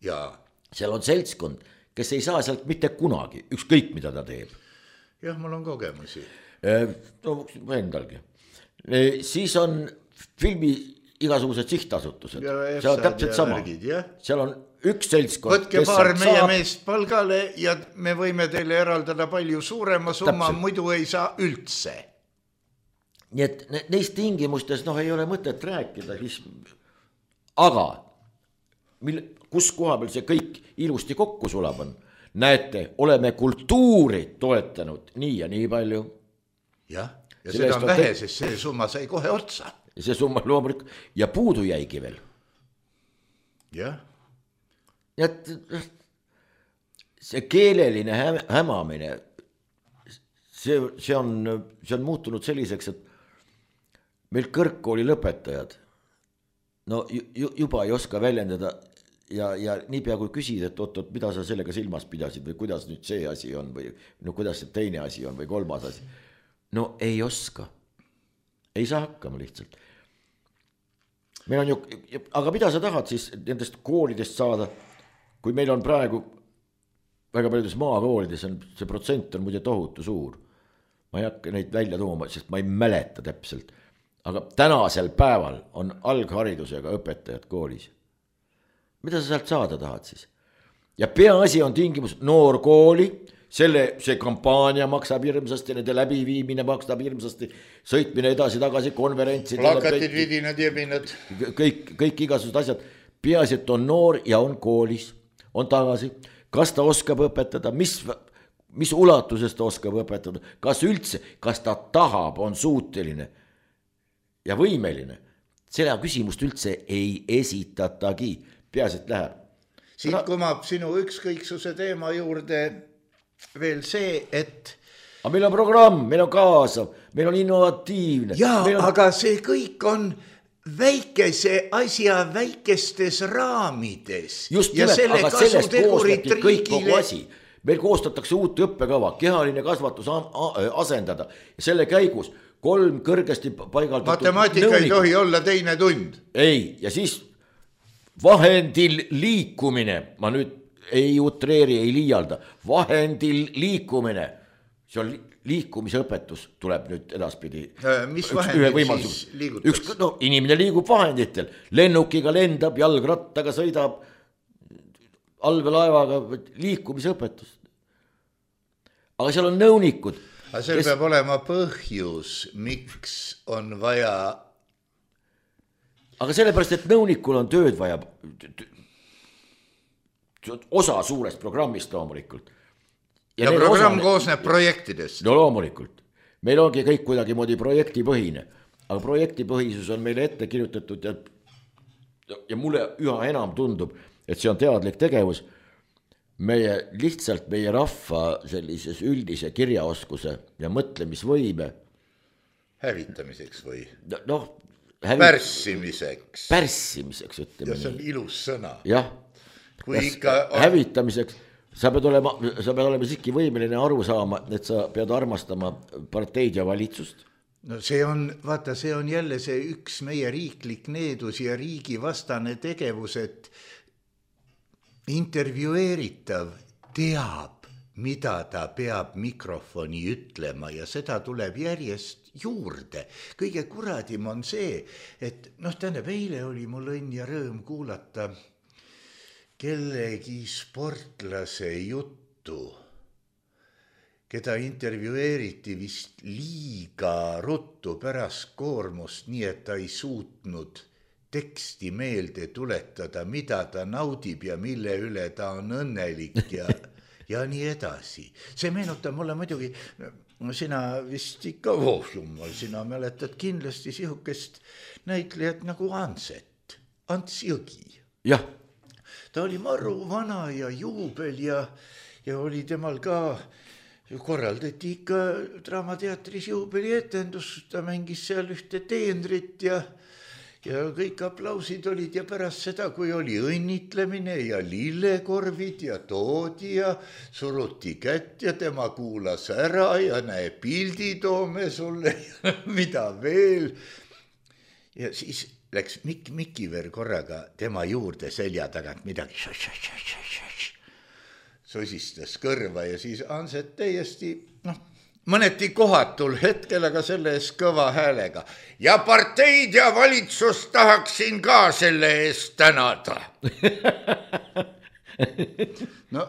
Jaa. Seal on seltskond, kes ei saa sealt mitte kunagi, ükskõik mida ta teeb. Jah, mul on kogemusi. No, endalgi. Siis on filmi igasugused sihtasutused. See on täpselt sama. Värgid, seal on üks seltskond. Võtke paar meie saab... meest palgale ja me võime teile eraldada palju suurema summa, täpselt. Muidu ei saa üldse. Nii et neist tingimustes noh, ei ole mõtet rääkida. Siis... Aga... Mil, kus koha peal see kõik ilusti kokku sulab on. Näete, oleme kultuuri toetanud nii ja nii palju. Jah, ja Selle seda on vähe, te... sest see summa sai kohe otsa. Ja see summa loomulik ja puudu jäigi veel. Jah. Et see keeleline hämamine, see, see, on, see on muutunud selliseks, et meil kõrgkooli lõpetajad no juba ei oska väljendada ja, ja niipea kui küsid, et oot, oot, mida sa sellega silmas pidasid või kuidas nüüd see asi on või no kuidas see teine asi on või kolmas asi. No ei oska. Ei saa hakkama lihtsalt. Meil on ju, aga mida sa tahad siis nendest koolidest saada, kui meil on praegu väga paljudes maakoolides on see protsent on muide tohutu suur. Ma ei hakka neid välja tooma, sest ma ei mäleta täpselt. Aga tänasel päeval on algharidusega õpetajad koolis. Mida sa sealt saada tahad siis? Ja peaasi on tingimus noor kooli, selle, see kampaania maksab hirmsasti, nende läbiviimine maksab hirmsasti, sõitmine edasi-tagasi, konverentsid. Plakatid, vidinad, jebinad. Kõik, kõik igasugused asjad. Peaasi, et on noor ja on koolis, on tagasi. Kas ta oskab õpetada, mis, mis ulatuses ta oskab õpetada, kas üldse, kas ta tahab, on suuteline ja võimeline. Seda küsimust üldse ei esitatagi. Peaasi, et läheb. Siit kumab sinu ükskõiksuse teema juurde veel see, et... Aga meil on programm, meil on kaasav, meil on innovatiivne. Jaa, on... aga see kõik on väikese asja väikestes raamides. just nimelt, aga sellest koostati kõik kogu asi. Meil koostatakse uut õppekava, kehaline kasvatus asendada ja selle käigus kolm kõrgesti paigaldatud matemaatika nõunikud. Ei tohi olla teine tund. Ei, ja siis vahendil liikumine, ma nüüd ei utreeri, ei liialda, vahendil liikumine, see on liikumisõpetus, tuleb nüüd edaspidi. Mis vahendil siis liigutakse? Üks, no, inimene liigub vahenditel, lennukiga lendab, jalgrattaga sõidab, allveelaevaga, liikumisõpetus. Aga seal on nõunikud. Aga seal kes... peab olema põhjus, miks on vaja... Aga sellepärast, et nõunikul on tööd vaja, osa suurest programmist loomulikult. Ja, ja programm osane... koosneb projektidest. No loomulikult. Meil ongi kõik kuidagimoodi projektipõhine, aga projektipõhisus on meile ette kirjutatud ja, ja mulle üha enam tundub, et see on teadlik tegevus. Meie lihtsalt meie rahva sellises üldise kirjaoskuse ja mõtlemisvõime. Hävitamiseks või? Noh, hävit... pärssimiseks. Pärssimiseks, ütleme. Ja see on ilus sõna. Jah, ikka... hävitamiseks. Sa pead olema, sa pead olema siiski võimeline aru saama, et sa pead armastama parteid ja valitsust. No see on, vaata, see on jälle see üks meie riiklik needus ja riigi vastane tegevus, et intervjueeritav teab, mida ta peab mikrofoni ütlema ja seda tuleb järjest juurde. Kõige kuradim on see, et noh, tähendab, eile oli mul õnn ja rõõm kuulata kellegi sportlase juttu, keda intervjueeriti vist liiga ruttu pärast koormust, nii et ta ei suutnud teksti meelde tuletada, mida ta naudib ja mille üle ta on õnnelik ja, ja nii edasi. See meenutab mulle muidugi, sina vist ikka, oh jumal, sina mäletad kindlasti sihukest näitlejat nagu Anset, Ants Jõgi. Jah. Ta oli maru vana ja juubel ja, ja oli temal ka, korraldati ikka Draamateatris juubeli etendus, ta mängis seal ühte teenrit ja, ja kõik aplausid olid ja pärast seda, kui oli õnnitlemine ja lillekorvid ja toodi ja suruti kätt ja tema kuulas ära ja näe pildi toome sulle ja mida veel. Ja siis läks Mikk Mikiver korraga tema juurde selja tagant midagi sosistas kõrva ja siis Anset täiesti, noh, mõneti kohatul hetkel, aga selle eest kõva häälega. Ja parteid ja valitsust tahaksin ka selle eest tänada. No,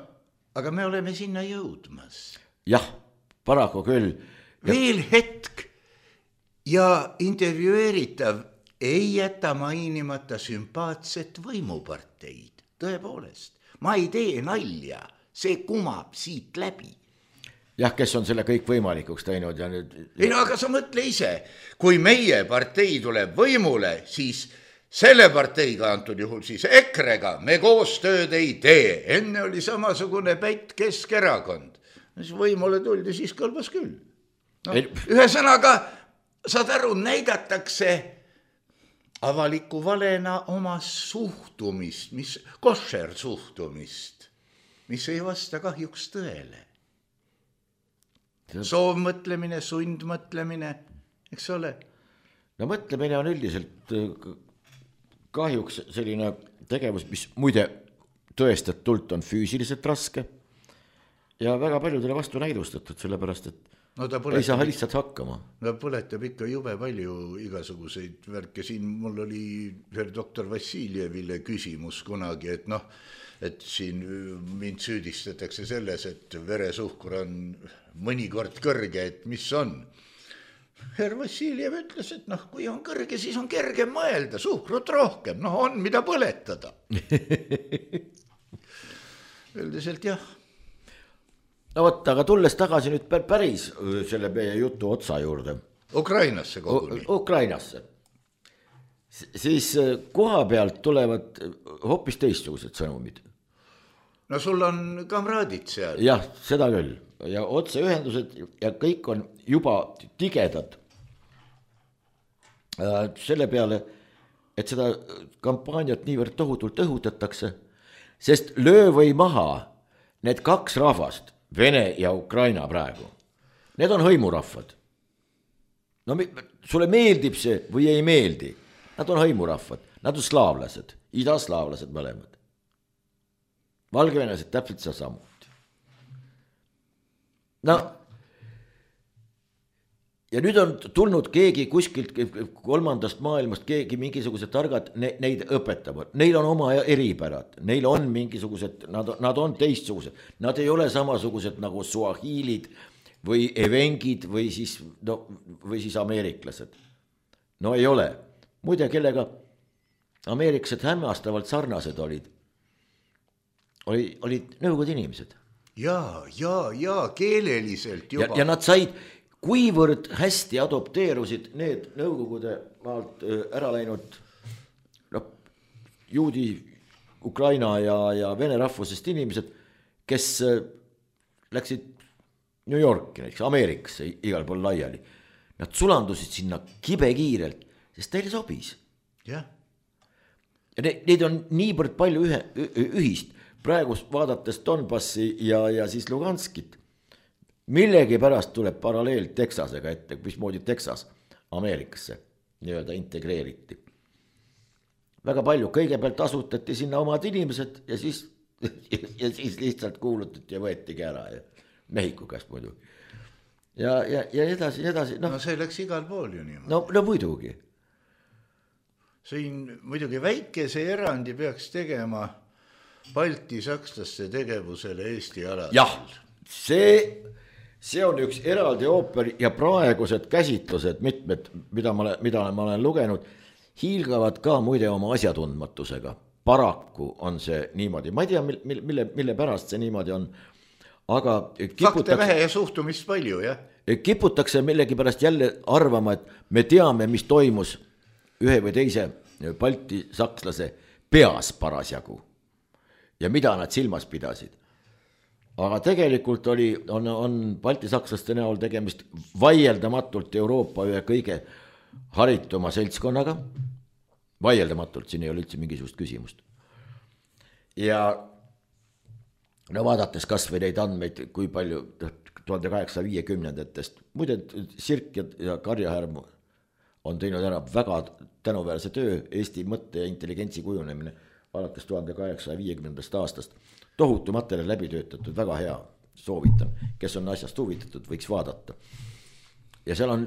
aga me oleme sinna jõudmas. Jah, paraku küll. Veel hetk ja intervjueeritav ei jäta mainimata sümpaatset võimuparteid. Tõepoolest, ma ei tee nalja, see kumab siit läbi. Jah, kes on selle kõik võimalikuks teinud ja nüüd... Ei no, aga sa mõtle ise, kui meie partei tuleb võimule, siis selle parteiga antud juhul siis Ekrega me koostööd ei tee. Enne oli samasugune pätt Keskerakond. Siis võimule tuldi, siis kõlbas küll. No, ei... Ühesõnaga, saad aru, näidatakse... avaliku valena oma suhtumist, mis košer suhtumist, mis ei vasta kahjuks tõele. Soovmõtlemine, sundmõtlemine, eks ole? No mõtlemine on üldiselt kahjuks selline tegevus, mis muide tõestatult on füüsiliselt raske ja väga paljudele vastu näidustatud, sellepärast, et no põletab, ei saa lihtsalt hakkama. No põletab ikka jube palju igasuguseid värke. Siin mul oli doktor Vassiljevile küsimus kunagi, et noh, et siin mind süüdistatakse selles, et veresuhkur on mõnikord kõrge, et mis on. Herr Vassiljev ütles, et noh, kui on kõrge, siis on kerge mõelda, suhkrut rohkem, noh on mida põletada. Üldiselt jah. No võtta, aga tulles tagasi nüüd päris selle meie jutu otsa juurde. Ukrainasse koguni. Ukrainasse. Siis koha pealt tulevad hoopis teistsugused sõnumid. No sul on kamraadid seal. Jah, seda küll. Ja otseühendused ja kõik on juba tigedad. Selle peale et seda kampaaniat niivõrd tohutult õhutatakse, sest löö või maha need kaks rahvast, Vene ja Ukraina praegu, need on hõimurahvad. No sulle meeldib see või ei meeldi, nad on hõimurahvad, nad on slaavlased, idaslaavlased mõlemad. Valgevenelased täpselt seda samuti. No ja nüüd on tulnud keegi kuskilt kolmandast maailmast, keegi mingisugused targad ne, neid õpetavad. Neil on oma eripärad, neil on mingisugused, nad, nad on teistsugused. Nad ei ole samasugused nagu suahiilid või evengid või siis, no, või siis ameeriklased. No ei ole. Muide, kellega ameeriklased hämmastavalt sarnased olid, oli, olid nõukogude inimesed. Ja, ja, ja keeleliselt juba. Ja, ja nad said... Kuivõrd hästi adopteerusid need nõukogude maalt ära läinud no, juudi, Ukraina ja, ja vene rahvusest inimesed, kes läksid New Yorki, näiteks Ameerikasse igal pool laiali. Nad sulandusid sinna kibekiirelt, sest teile sobis. Yeah. Ja ne, neid on niivõrd palju ühe, ühist. Praegu vaadates Donbassi ja, ja siis Luganskit. Millegi pärast tuleb paralleel Texasega ette, mismoodi Texas Ameerikasse nii-öelda integreeriti. Väga palju, kõigepealt asutati sinna omad inimesed ja siis, ja siis lihtsalt kuulutati ja võetigi ära ja Mehhiko käest muidu. Ja, ja, ja edasi, edasi. No, no see läks igal pool ju niimoodi. No, no muidugi. Siin muidugi väikese erandi peaks tegema Balti sakslaste tegevusele Eesti alal. Jah, see... See on üks eraldi ooper ja praegused käsitlused, mitmed, mida ma, mida ma olen lugenud, hiilgavad ka muide oma asjatundmatusega. Paraku on see niimoodi. Ma ei tea, mille, mille, mille pärast see niimoodi on. Aga fakte vähe ja suhtumist palju, jah? Kiputakse millegi pärast jälle arvama, et me teame, mis toimus ühe või teise Balti sakslase peas parasjagu ja mida nad silmas pidasid. Aga tegelikult oli, on, on Balti sakslaste näol tegemist vaieldamatult Euroopa ühe kõige harituma seltskonnaga. Vaieldamatult, siin ei ole üldse mingisugust küsimust. Ja no vaadates kas või neid andmeid, kui palju tuhande kaheksasaja viiekümnendatest, muide Sirk ja, ja Karjahärm on teinud ära väga tänuväärse töö, Eesti mõtte ja intelligentsi kujunemine alates tuhande kaheksasaja viiekümnendast aastast. Tohutu materjal läbi töötatud, väga hea, soovitan, kes on asjast huvitatud, võiks vaadata. Ja seal on,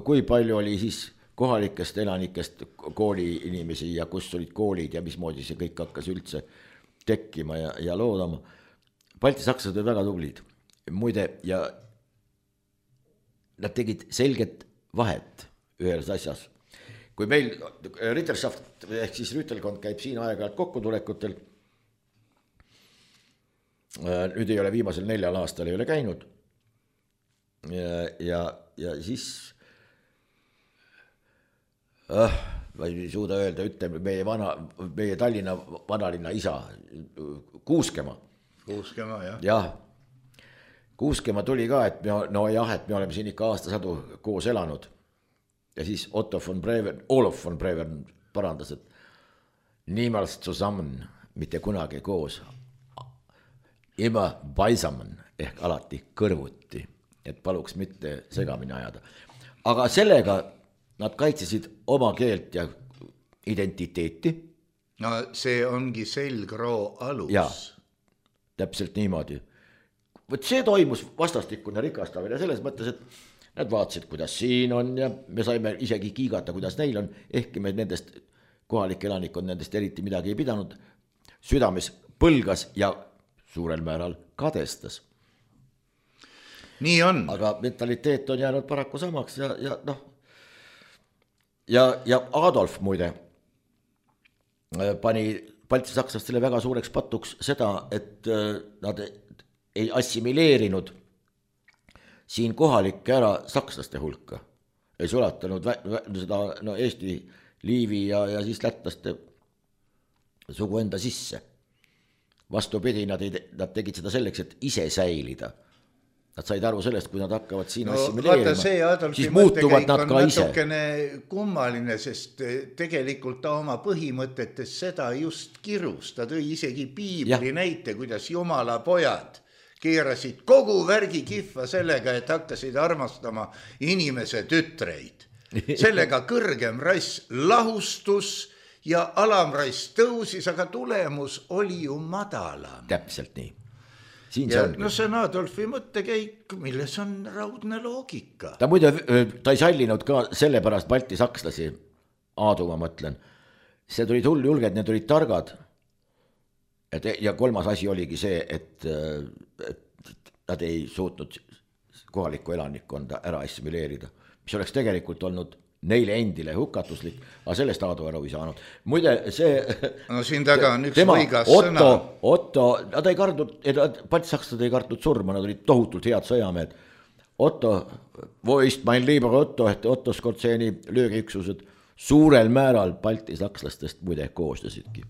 kui palju oli siis kohalikest elanikest kooli inimesi ja kus olid koolid ja mismoodi see kõik hakkas üldse tekkima ja, ja loodama. Balti sakslased olid väga tublid, muide, ja nad tegid selget vahet ühes asjas. Kui meil Ritterschaft ehk siis rüütelkond käib siin aeg-ajalt kokkutulekutel, nüüd ei ole viimasel neljal aastal ei ole käinud ja, ja, ja siis äh, ma ei suuda öelda, ütleme meie, vana, meie Tallinna vanalinna isa Kuuskema. Kuuskema, jah. Jah, Kuuskema tuli ka, et me, no jah, et me oleme siin ikka aastasadu koos elanud ja siis Otto von Breven, Olof von Breven parandas, et niemals zusammen, mitte kunagi koos. Ima Baisaman ehk alati kõrvuti, et paluks mitte segamini ajada. Aga sellega nad kaitsesid oma keelt ja identiteeti. No see ongi selgroo alus. Ja, täpselt niimoodi. Võt see toimus vastastikune rikastamine selles mõttes, et nad vaatasid, kuidas siin on ja me saime isegi kiigata, kuidas neil on, ehkki me nendest kohalik elanikkond nendest eriti midagi ei pidanud, südames põlgas ja suurel määral kadestas. Nii on. Aga mentaliteet on jäänud paraku samaks ja, ja noh, ja, ja Adolf muide pani Balti sakslastele väga suureks patuks seda, et nad ei assimileerinud siin kohalikke ära sakslaste hulka. Ei sulatanud vä- vä- seda no, Eesti, Liivi ja, ja siis lätlaste sugu enda sisse. Vastupidi, nad, ei, nad tegid seda selleks, et ise säilida Nad said aru sellest, kui nad hakkavad siin no, assimileerima, siis muutuvad nad ka ise. Natukene kummaline, sest tegelikult ta oma põhimõtetes seda just kirus. Ta tõi isegi piibli ja. Näite, kuidas jumala pojad keerasid kogu värgi kihva sellega, et hakkasid armastama inimese tütreid. Sellega kõrgem rass lahustus ja alamrass tõusis, aga tulemus oli ju madalam. Täpselt nii. Ja, no see on Adolfi mõttekäik, milles on raudne loogika. Ta muide, ta ei sallinud ka sellepärast Balti sakslasi, Aadu ma mõtlen. See tulid hull julged, need olid targad. Et, ja kolmas asi oligi see, et, et nad ei suutnud kohalikku elanikkonda ära assimileerida, mis oleks tegelikult olnud neile endile hukatuslik, aga sellest Aadu aru ei saanud. Muide, see... No siin taga on üks tema, võigas Otto, sõna. Otto, nad ei kartnud, Balti sakslased ei kartnud surma, nad olid tohutult head sõjamehed. Otto, voist mein lieber Otto, et Otto Skortseeni löögiüksused suurel määral Balti sakslastest muide koosnesidki.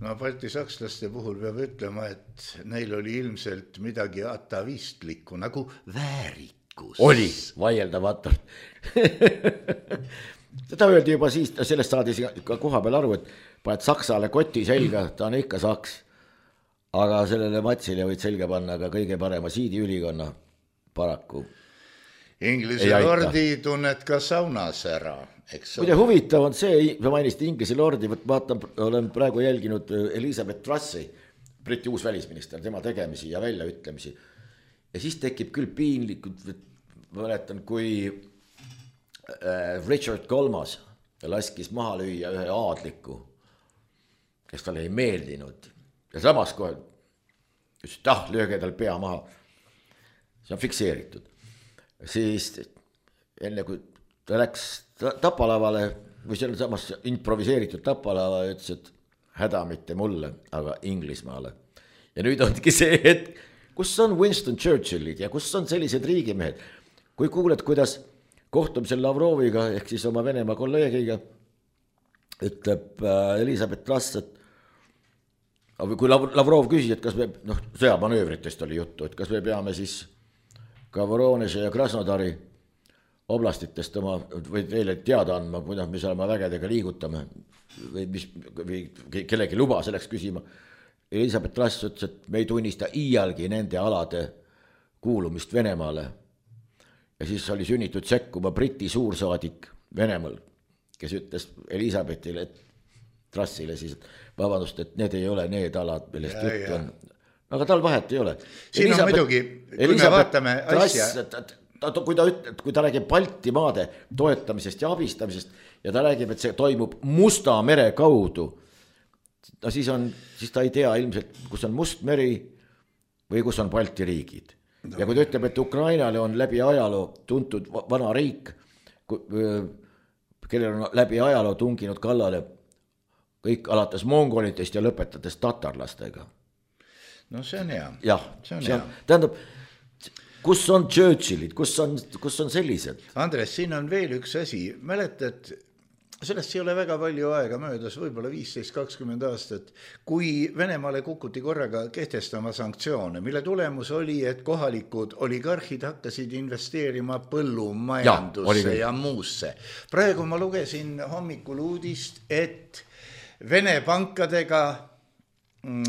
No Balti sakslaste puhul peab ütlema, et neil oli ilmselt midagi atavistlikku, nagu väärik. Oli, vaieldamatult. Seda öeldi juba siis, sellest saadi ka koha peal aru, et paned Saksale koti selga, ta on ikka saks. Aga sellele matsile võid selga panna ka kõige parema siidiülikonna paraku. Inglise lordi tunned ka saunas ära. Muide huvitav on see, ma mainisti Inglise lordi, vaatan, olen praegu jälginud Elizabeth Trussi, Briti uus välisminister, tema tegemisi ja väljaütlemisi. Ja siis tekib küll piinlikud, mäletan, kui Richard Kolmas laskis maha lüüa ühe aadliku, kes talle ei meeldinud. Ja samas kohe, ütles, et ah, lööge tal pea maha. See on fikseeritud. Siis enne kui ta läks tapalavale, või selle samas improviseeritud tapalava, ütles, et häda mitte mulle, aga Inglismaale. Ja nüüd ongi see hetk, kus on Winston Churchillid ja kus on sellised riigimehed. Kui kuuled, kuidas kohtumisel Lavroviga, ehk siis oma Venemaa kolleegiga, ütleb Elizabeth Truss, et kui Lavrov küsis, et kas me, noh, sõjamanöövritest oli juttu, et kas me peame siis ka Voroneže ja Krasnodari oblastitest oma, või teile teada andma, kuidas me seal oma vägedega liigutame, või, mis, või kellegi luba selleks küsima. Elizabeth Truss ütles, et me ei tunnista iialgi nende alade kuulumist Venemaale. Ja siis oli sünnitud sekkuma Briti suursaadik Venemaal, kes ütles Elizabethile, et Trussile siis, et vabandust, et need ei ole need alad, millest ja, juttu on. Aga tal vahet ei ole. Siin Elizabeth, on muidugi, kui Elizabeth me vaatame asja. Truss, ta, kui, ta üt, kui ta räägib Balti maade toetamisest ja abistamisest ja ta räägib, et see toimub Musta mere kaudu, no siis, on, siis ta ei tea ilmselt, kus on Must meri või kus on Balti riigid. No. Ja kui ta ütleb, et Ukrainale on läbi ajaloo tuntud vana riik, kellel on läbi ajaloo tunginud kallale kõik alates mongolitest ja lõpetades tatarlastega. No see on hea. Jah, see on, see on hea. Tähendab, kus on Churchillid, kus on, kus on sellised? Andres, siin on veel üks asi. Mäletad, sellest ei ole väga palju aega möödas, võib-olla viisteist kakskümmend aastat, kui Venemaale kukuti korraga kehtestama sanktsioone, mille tulemus oli, et kohalikud oligarhid hakkasid investeerima põllumajandusse ja, ja muusse. Praegu ma lugesin hommikul uudist, et Vene pankadega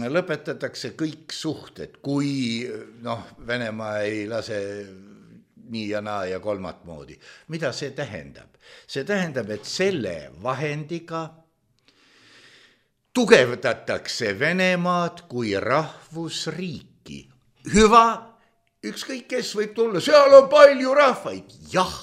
lõpetatakse kõik suhted, kui noh, Venemaa ei lase nii ja naa ja kolmat moodi. Mida see tähendab? See tähendab, et selle vahendiga tugevdatakse Venemaad kui rahvusriiki. Hüva, ükskõik kes võib tulla, seal on palju rahvaid. Jah,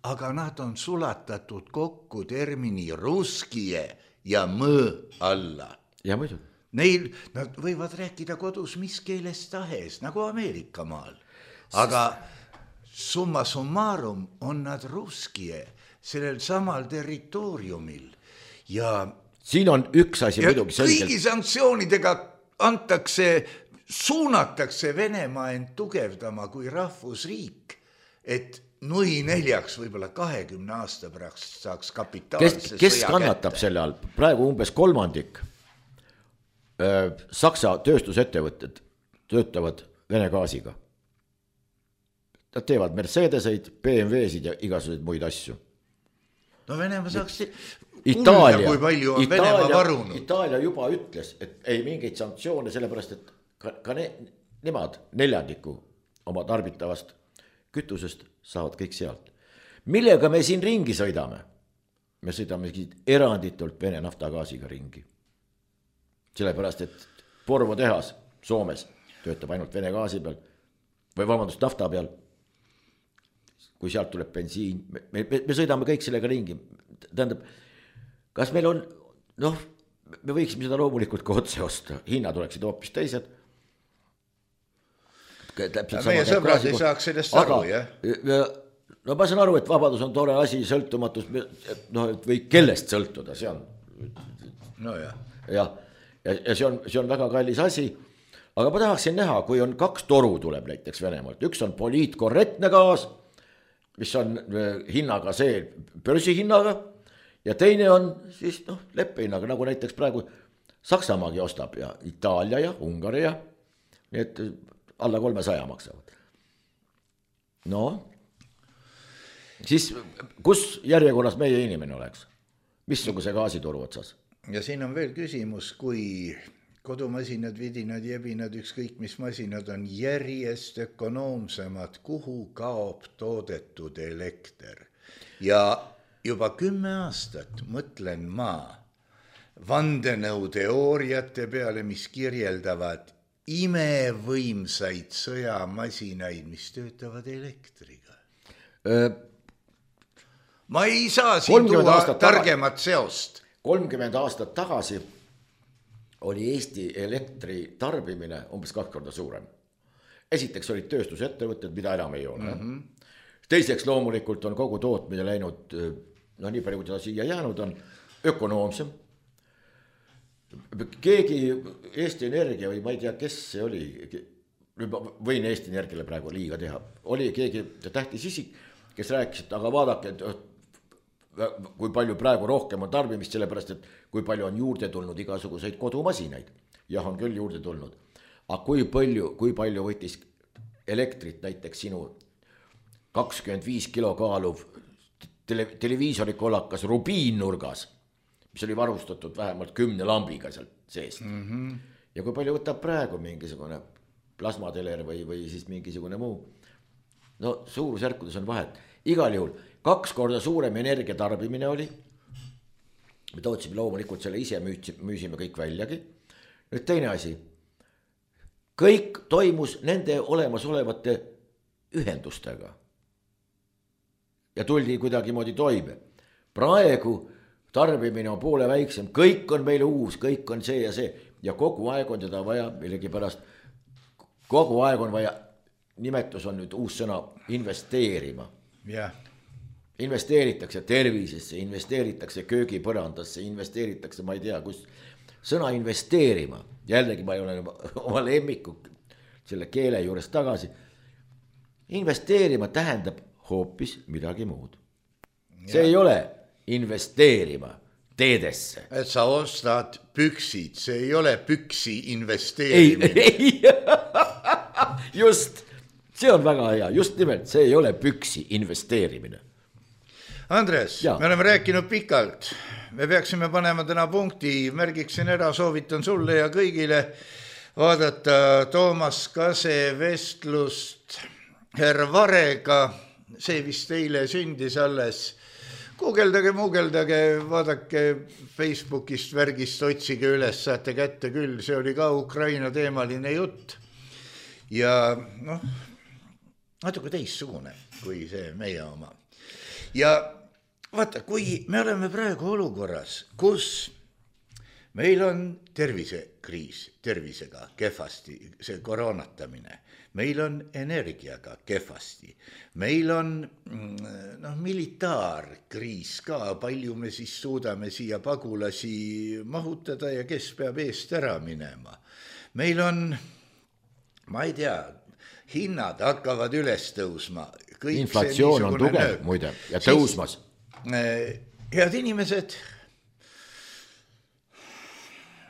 aga nad on sulatatud kokku termini ruskie ja mõõ alla. Ja muidu. Neil, nad võivad rääkida kodus mis keeles tahes, nagu Ameerika maal. Aga summa summarum on nad ruskie sellel samal territooriumil. Ja siin on üks asi muidugi selgelt. Kõigi sanktsioonidega antakse, suunatakse Venemaa end tugevdama kui rahvusriik, et nui neljaks võib-olla kahekümne aasta pärast saaks kapitaalse kes, kes sõja kannatab kätte. Selle all? Praegu umbes kolmandik öö, Saksa tööstusettevõtted töötavad Vene gaasiga. nad teevad Mercedeseid, B M W-sid ja igasuguseid muid asju. no Venemaa saaks Itaalia, kuulda, kui palju on Itaalia, Venemaa varunud. Itaalia juba ütles, et ei mingeid sanktsioone, sellepärast et ka, ka ne, nemad neljandiku oma tarbitavast kütusest saavad kõik sealt. Millega me siin ringi sõidame? Me sõidame eranditult Vene naftagaasiga ringi. Sellepärast, et Porvo tehas Soomes töötab ainult Vene gaasi peal või vabandust nafta peal. Kui sealt tuleb bensiin, me, me, me sõidame kõik sellega ringi. Tähendab, kas meil on, noh, me võiksime seda loomulikult ka otse osta, hinnad oleksid hoopis teised. Meie sõbrad ei saaks sellest aru, jah? No ma saan aru, et vabadus on tore asi, sõltumatus, no või kellest sõltuda, see on. No jah. Ja, ja, ja see on, see on väga kallis asi, aga ma tahaksin näha, kui on kaks toru tuleb näiteks Venemaalt, üks on poliitkorrektne gaas, mis on hinnaga see börsihinnaga ja teine on siis noh, leppehinnaga, nagu näiteks praegu Saksamaagi ostab ja Itaalia ja Ungari ja nii et alla kolmesaja maksavad. No, siis kus järjekorras meie inimene oleks? Missuguse gaasituru otsas? Ja siin on veel küsimus, kui kodumasinad, vidinad, jebinad, ükskõik mis masinad on järjest ökonoomsemad, kuhu kaob toodetud elekter. Ja juba kümme aastat mõtlen ma vandenõuteooriate peale, mis kirjeldavad imevõimsaid sõjamasinaid, mis töötavad elektriga. Öö, ma ei saa siin tuua targemat seost. kolmkümmend aastat tagasi oli Eesti elektri tarbimine umbes kaks korda suurem. Esiteks olid tööstusettevõtted, mida enam ei ole. Mm-hmm. Teiseks loomulikult on kogu tootmine läinud, no nii palju, kui ta siia jäänud on, ökonoomsem. Keegi Eesti Energia või ma ei tea, kes see oli, võin Eesti Energiale praegu liiga teha, oli keegi tähtis isik, kes rääkis, et aga vaadake, et kui palju praegu rohkem on tarbimist, sellepärast, et kui palju on juurde tulnud igasuguseid kodumasinaid. Jah, on küll juurde tulnud. Aga kui palju, kui palju võttis elektrit näiteks sinu kakskümmend viis kilo kaaluv tele, televiisori kollakas rubiinnurgas, mis oli varustatud vähemalt kümne lambiga sealt seest. Mm-hmm. Ja kui palju võtab praegu mingisugune plasmateler või, või siis mingisugune muu. No suurusjärkudes on vahet. Igal juhul kaks korda suurem energiatarbimine oli. Me tootsime loomulikult selle ise müüsime kõik väljagi. Nüüd teine asi. Kõik toimus nende olemasolevate ühendustega. Ja tuldi kuidagi moodi toime. Praegu tarbimine on poole väiksem. Kõik on meile uus, kõik on see ja see. Ja kogu aeg on teda vaja, millegi pärast, kogu aeg on vaja, nimetus on nüüd uus sõna, investeerima. Jah. Investeeritakse tervisesse, investeeritakse köögipõrandasse, investeeritakse, ma ei tea, kus sõna investeerima. Jällegi ma ei ole oma lemmiku selle keele juures tagasi. Investeerima tähendab hoopis midagi muud. See ja. Ei ole investeerima teedesse. Et sa ostad püksid, see ei ole püksi investeerimine. Ei, ei. Just, see on väga hea, just nimelt, see ei ole püksi investeerimine. Andres, ja. Me oleme rääkinud pikalt, me peaksime panema täna punkti, märgiksin ära, soovitan sulle ja kõigile vaadata Toomas Kase vestlust herr Varega, see vist eile sündis alles. Guugeldage, muugeldage, vaadake Facebookist, värgist, otsige üles, saate kätte küll, see oli ka Ukraina teemaline jutt. Ja noh, natuke teistsugune kui see meie oma. Ja vaata, kui me oleme praegu olukorras, kus meil on tervisekriis, tervisega kehvasti, see koroonatamine, meil on energiaga kehvasti, meil on no, militaarkriis ka, palju me siis suudame siia pagulasi mahutada ja kes peab eest ära minema. Meil on, ma ei tea, hinnad hakkavad üles tõusma. Kõik inflatsioon on tugev, muide, ja tõusmas. Siis, head inimesed,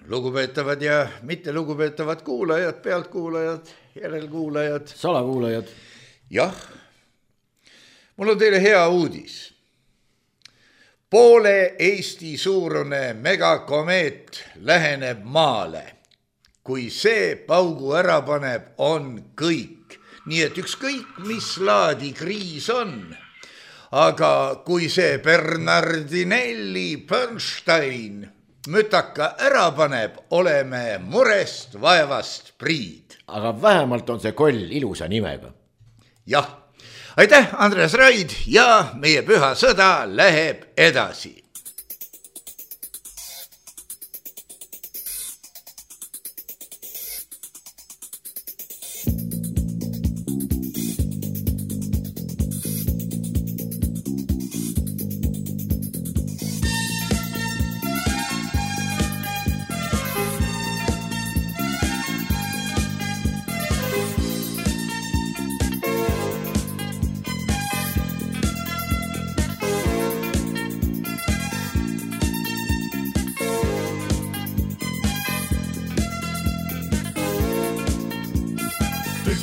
lugupeetavad ja mitte lugupeetavad kuulajad, pealtkuulajad, järelkuulajad. Salakuulajad. Jah, mul on teile hea uudis. Poole Eesti suurune megakomeet läheneb maale. Kui see paugu ära paneb, on kõik. Nii et ükskõik, mis laadi kriis on. Aga kui see Bernardinelli Bernstein mütaka ära paneb, oleme murest vaevast priid. Aga vähemalt on see koll ilusa nimega. Jah, aitäh, Andres Raid, ja meie püha sõda läheb edasi.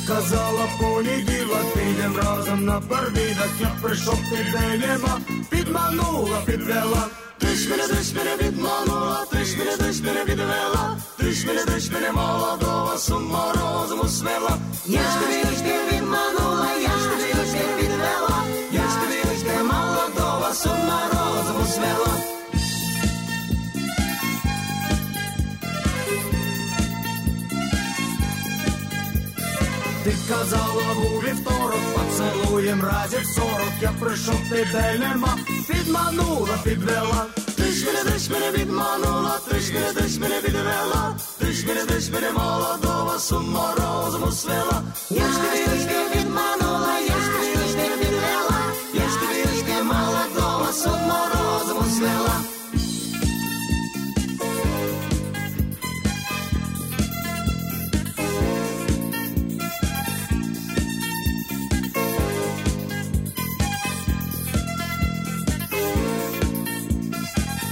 Казала понеділок, підем разом на парвідок. Я прийшов підбенема, підманула, підвела. Ти ж мене, ти ж мене відманула, ти ж мене, ти ж мене відвела. Ти ж мене, ти ж мене молодого з ума розуму свела. Я ж тобі, я ж тебе відманула, я ж тобі, я ж тебе відвела. Я ж тобі, я ж тебе молодого з ума розуму свела. Ти казала у вівторок, поцелуєм разів сорок. Я прийшов, тебе нема, підманула, підвела. Ти ж мене, ти ж мене відманула, ти ж мене, ти ж мене відвела. Ти ж мене, ти ж мене молодого з ума розуму свела. Я ж тобі, я ж тебе відманула, я ж тобі, я ж тебе відвела. Я ж тобі, я ж тебе молодого з ума розуму свела.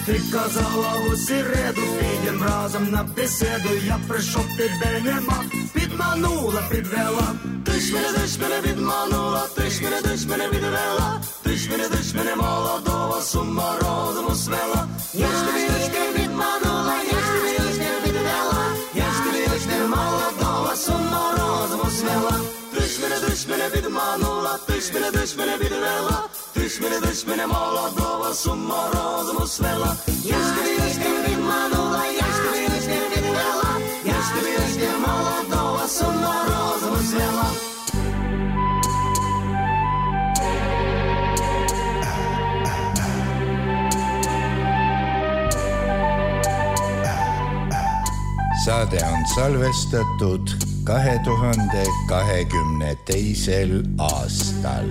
Ти казала у середу, підем разом на беседу. Я прийшов, тебе нема, підманула, підвела. Ти ж мене, ти ж мене відманула, ти ж мене, ти ж мене відвела. Ти ж мене, ти ж мене молодого з ума розуму свела. Я ж тобі, я ж тебе відманула, я ж тобі, я ж тебе відвела. Я ж тобі, я ж тебе молодого з ума розуму свела. Ти ж мене, ти ж мене відманула, ти ж мене, ти ж мене відвела. Ти ж мене, ти ж мене молодого з ума розуму свела. Я ж тобі, я ж тебе відманула, я ж тобі, я ж тебе відвела. Я ж тобі, я ж тебе молодого з ума розуму свела. Saade on salvestatud kahe tuhande kahekümne teisel aastal.